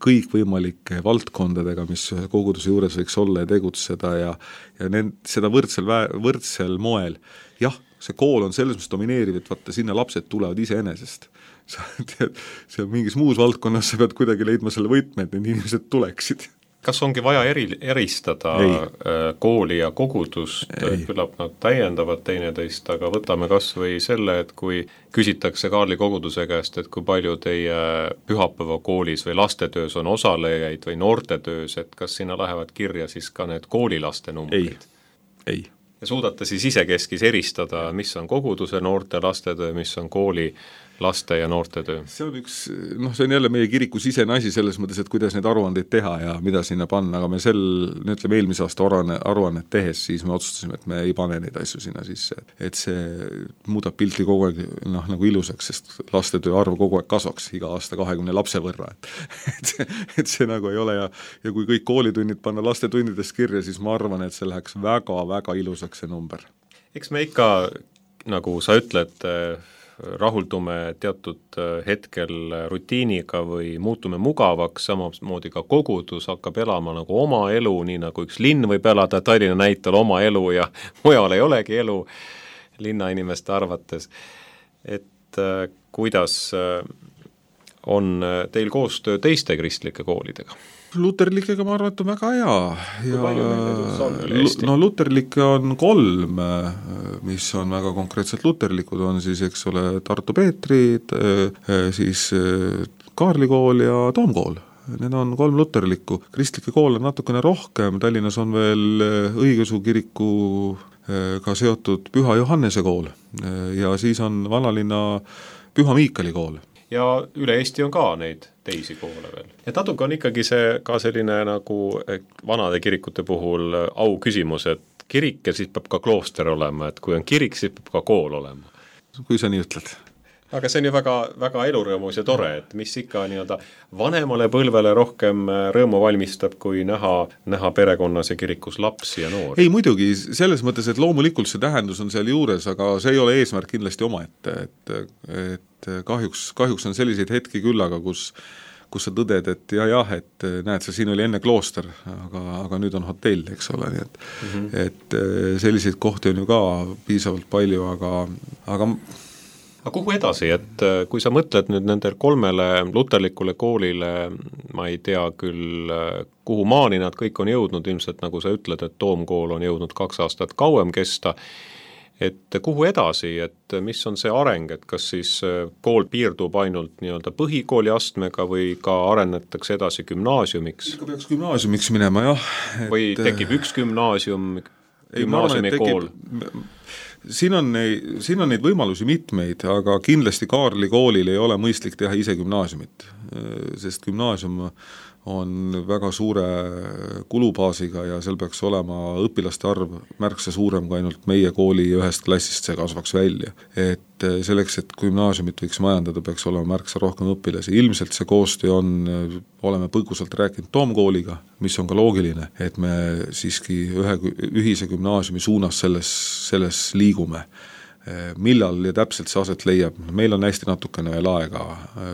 kõikvõimalike valdkondadega, mis koguduse juures võiks olla ja tegutseda ja, ja need, seda võrdsel, võrdsel moel. Jah, see kool on selles, mis domineeriv, et vaata, sinna lapsed tulevad iseenesest. See on mingis muus valdkonnas, sa pead kuidagi leidma selle võtme, et need inimesed tuleksid. Kas ongi vaja eri, eristada Ei. kooli ja kogudust, küllap nad täiendavad teineteist, aga võtame kas või selle, et kui küsitakse Kaarli koguduse käest, et kui palju teie pühapäeva koolis või lastetöös on osalejaid või noortetöös, et kas sinna lähevad kirja siis ka need koolilaste numbrid? Ei, ei. ja suudate siis isekeskis eristada, mis on koguduse noorte lastetöö, mis on kooli laste ja noorte töö? See on üks, noh, see on jälle meie kiriku sisene asi selles mõttes, et kuidas neid aruandeid teha ja mida sinna panna, aga me sel, ütleme eelmise aasta aruanne, aruannet tehes, siis me otsustasime, et me ei pane neid asju sinna sisse. Et see muudab pilti kogu aeg noh, nagu ilusaks, sest lastetöö arv kogu aeg kasvaks iga aasta kahekümne lapse võrra. Et see, et see nagu ei ole ja, ja kui kõik koolitunnid panna lastetundidest kirja, siis ma arvan, et see läheks väga-väga ilusaks see number. Eks me ikka, nagu sa ütled, rahuldume teatud hetkel rutiiniga või muutume mugavaks, samamoodi ka kogudus hakkab elama nagu oma elu, nii nagu üks linn võib elada Tallinna näitel oma elu ja mujal ei olegi elu linnainimeste arvates. Et äh, kuidas äh, on teil koostöö teiste kristlike koolidega? Luterlikega ma arvan, et on väga hea. Kui palju meil edus on üle Eesti? No luterlikke on kolm, mis on väga konkreetselt luterlikud, on siis, eks ole, Tartu Peetrid, siis Kaarli kool ja Toomkool. Need on kolm luterlikku. Kristlike kool on natukene rohkem, Tallinnas on veel õigeusu kirikuga seotud Püha Johannese kool ja siis on vanalinna Püha Miikali kool. Ja üle Eesti on ka neid teisi koole veel. Ja natuke on ikkagi see ka selline nagu vanade kirikute puhul au küsimus, et kirik ja siis peab ka klooster olema, et kui on kirik, siis peab ka kool olema. Kui sa nii ütled. Aga see on ju väga, väga elurõõmus ja tore, et mis ikka nii-öelda vanemale põlvele rohkem rõõmu valmistab, kui näha, näha perekonnas ja kirikus lapsi ja noori. Ei muidugi, selles mõttes, et loomulikult see tähendus on seal juures, aga see ei ole eesmärk kindlasti omaette, et, et kahjuks, kahjuks on selliseid hetki küll, aga kus, kus sa tõded, et jah, jah, et näed, see siin oli enne klooster, aga, aga nüüd on hotell, eks ole, nii et, mm-hmm. et selliseid kohti on ju ka piisavalt palju, aga, aga Aga kuhu edasi, et kui sa mõtled nüüd nendel kolmele luterlikule koolile, ma ei tea küll, kuhu maani nad kõik on jõudnud, ilmselt nagu sa ütled, et Toomkool on jõudnud kaks aastat kauem kesta, et kuhu edasi, et mis on see areng, et kas siis kool piirdub ainult nii-öelda põhikooli astmega või ka arenetakse edasi gümnaasiumiks? Ikka peaks gümnaasiumiks minema, jah. Et või tekib üks gümnaasium, gümnaasiumi kool? Siin on, siin on neid võimalusi mitmeid, aga kindlasti Kaarli koolil ei ole mõistlik teha ise gümnaasiumit, sest gümnaasium on väga suure kulubaasiga ja seal peaks olema õpilaste arv märksa suurem kui ainult meie kooli ühest klassist see kasvaks välja. Et selleks, et gümnaasiumit võiks majandada, peaks olema märksa rohkem õpilasi. Ilmselt see koostöö on, oleme põgusalt rääkinud Toomkooliga, mis on ka loogiline, et me siiski ühe ühise gümnaasiumi suunas selles, selles liigume. Millal ja täpselt see aset leiab, meil on hästi natukene veel aega,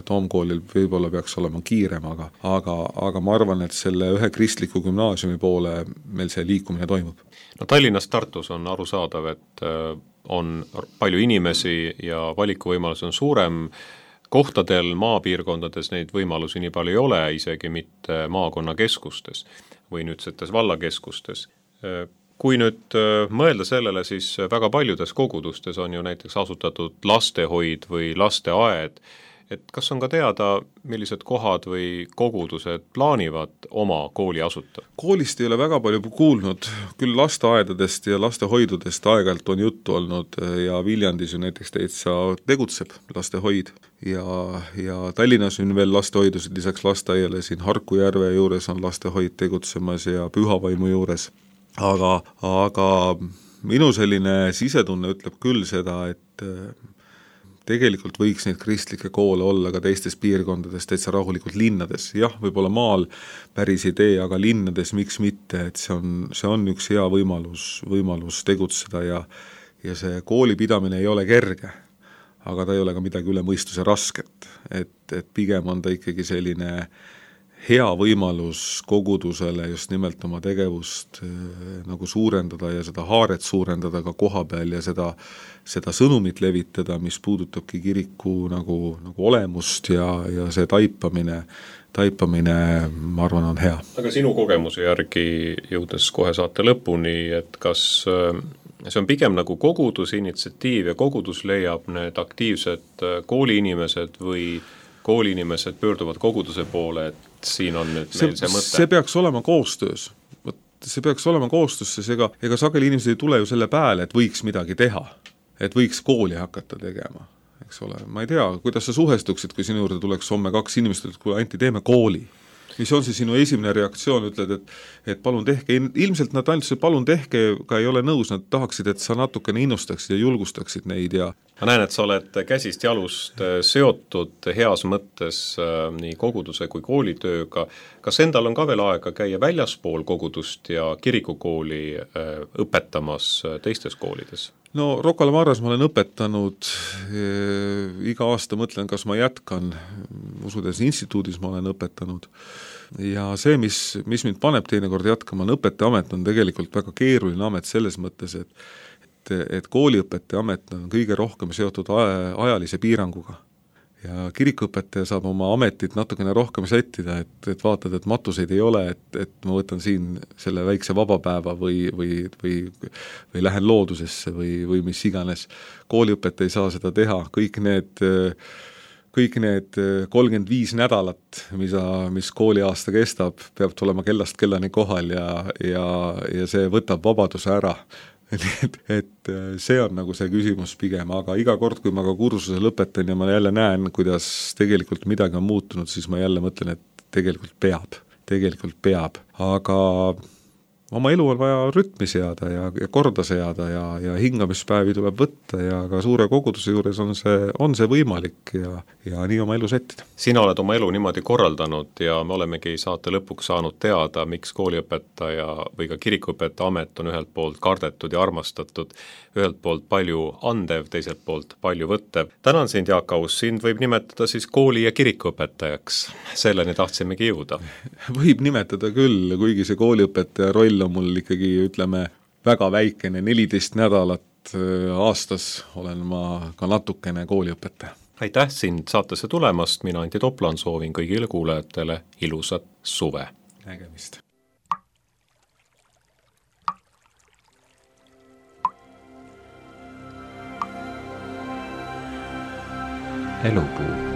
Toomkoolil võib-olla peaks olema kiirem, aga, aga, aga ma arvan, et selle ühe kristliku gümnaasiumi poole meil see liikumine toimub. No Tallinnas, Tartus on arusaadav, et on palju inimesi ja valikuvõimalus on suurem, kohtadel maapiirkondades neid võimalusi nii palju ei ole, isegi mitte maakonnakeskustes või nüüdsetes vallakeskustes. Kui nüüd mõelda sellele, siis väga paljudes kogudustes on ju näiteks asutatud lastehoid või lasteaed, et kas on ka teada, millised kohad või kogudused plaanivad oma kooli asutada? Koolist ei ole väga palju kuulnud, küll lasteaedadest ja lastehoidudest aegalt on juttu olnud ja Viljandis ju näiteks täitsa tegutseb lastehoid ja, ja Tallinnas on veel lastehoidusid lisaks lasteaiale, siin Harkujärve juures on lastehoid tegutsemas ja Pühavaimu juures. Aga, aga minu selline sisetunne ütleb küll seda, et tegelikult võiks neid kristlikke koole olla ka teistes piirkondades, täitsa rahulikult linnades. Jah, võib-olla maal päris idee, aga linnades miks mitte, et see on, see on üks hea võimalus, võimalus tegutseda ja, ja see kooli pidamine ei ole kerge, aga ta ei ole ka midagi üle mõistuse rasket. Et, et pigem on ta ikkagi selline hea võimalus kogudusele just nimelt oma tegevust äh, nagu suurendada ja seda haaret suurendada ka koha peal ja seda, seda sõnumit levitada, mis puudutabki kiriku nagu, nagu olemust ja, ja see taipamine, taipamine, ma arvan, on hea. Aga sinu kogemuse järgi jõudes kohe saate lõpuni, et kas äh, see on pigem nagu koguduse initsiatiiv ja kogudus leiab need aktiivsed kooliinimesed või kooliinimesed pöörduvad koguduse poole, et siin on nüüd see, meil see mõte? See peaks olema koostöös. see peaks olema koostöös, sest ega, ega sageli inimesed ei tule ju selle pääle, et võiks midagi teha, et võiks kooli hakata tegema, eks ole. Ma ei tea, kuidas sa suhestuksid, kui sinu juurde tuleks homme kaks inimest, et kui Anti, teeme kooli. Mis on see sinu esimene reaktsioon, ütled, et, et palun tehke, ilmselt nad ainult see palun tehke ka ei ole nõus, nad tahaksid, et sa natukene innustaksid ja julgustaksid neid ja ma näen, et sa oled käsist jalust seotud heas mõttes äh, nii koguduse kui koolitööga. Kas endal on ka veel aega käia väljaspool kogudust ja kirikukooli äh, õpetamas teistes koolides? No Rocca al Marras ma olen õpetanud, e, iga aasta mõtlen, kas ma jätkan, usudes instituudis ma olen õpetanud ja see, mis, mis mind paneb teinekord jätkama, on õpetajamet on tegelikult väga keeruline amet selles mõttes, et, et, et kooliõpetajamet on kõige rohkem seotud ajalise piiranguga. Ja kirikuõpetaja saab oma ametit natukene rohkem sättida, et, et vaatad, et matuseid ei ole, et, et ma võtan siin selle väikse vabapäeva või, või, või, või lähen loodusesse või, või mis iganes. Kooliõpetaja ei saa seda teha, kõik need, kõik need kolmkümmend viis nädalat, mida, mis kooliaasta kestab, peab tulema kellast kellani kohal ja, ja, ja see võtab vabaduse ära. Et, et see on nagu see küsimus pigem, aga iga kord, kui ma ka kursuse lõpetan ja ma jälle näen, kuidas tegelikult midagi on muutunud, siis ma jälle mõtlen, et tegelikult peab, tegelikult peab, aga oma elu on vaja rütmi seada ja, ja korda seada ja, ja hingamispäevi tuleb võtta ja ka suure koguduse juures on see, on see võimalik ja, ja nii oma elu sättida. Sina oled oma elu niimoodi korraldanud ja me olemegi saate lõpuks saanud teada, miks kooliõpetaja või ka kirikuõpetaja amet on ühelt poolt kardetud ja armastatud, ühelt poolt palju andev, teiselt poolt palju võttev. Tänan sind, Jaak Aus, sind võib nimetada siis kooli- ja kirikuõpetajaks. Selleni tahtsimegi jõuda. Võib nimetada küll, kuigi see kooliõpetaja roll on mul ikkagi, ütleme, väga väikene, neliteist nädalat aastas olen ma ka natukene kooliõpetaja. Aitäh sind saatesse tulemast, mina Anti Toplan soovin kõigile kuulajatele ilusat suve. Nägemist. Elupuu.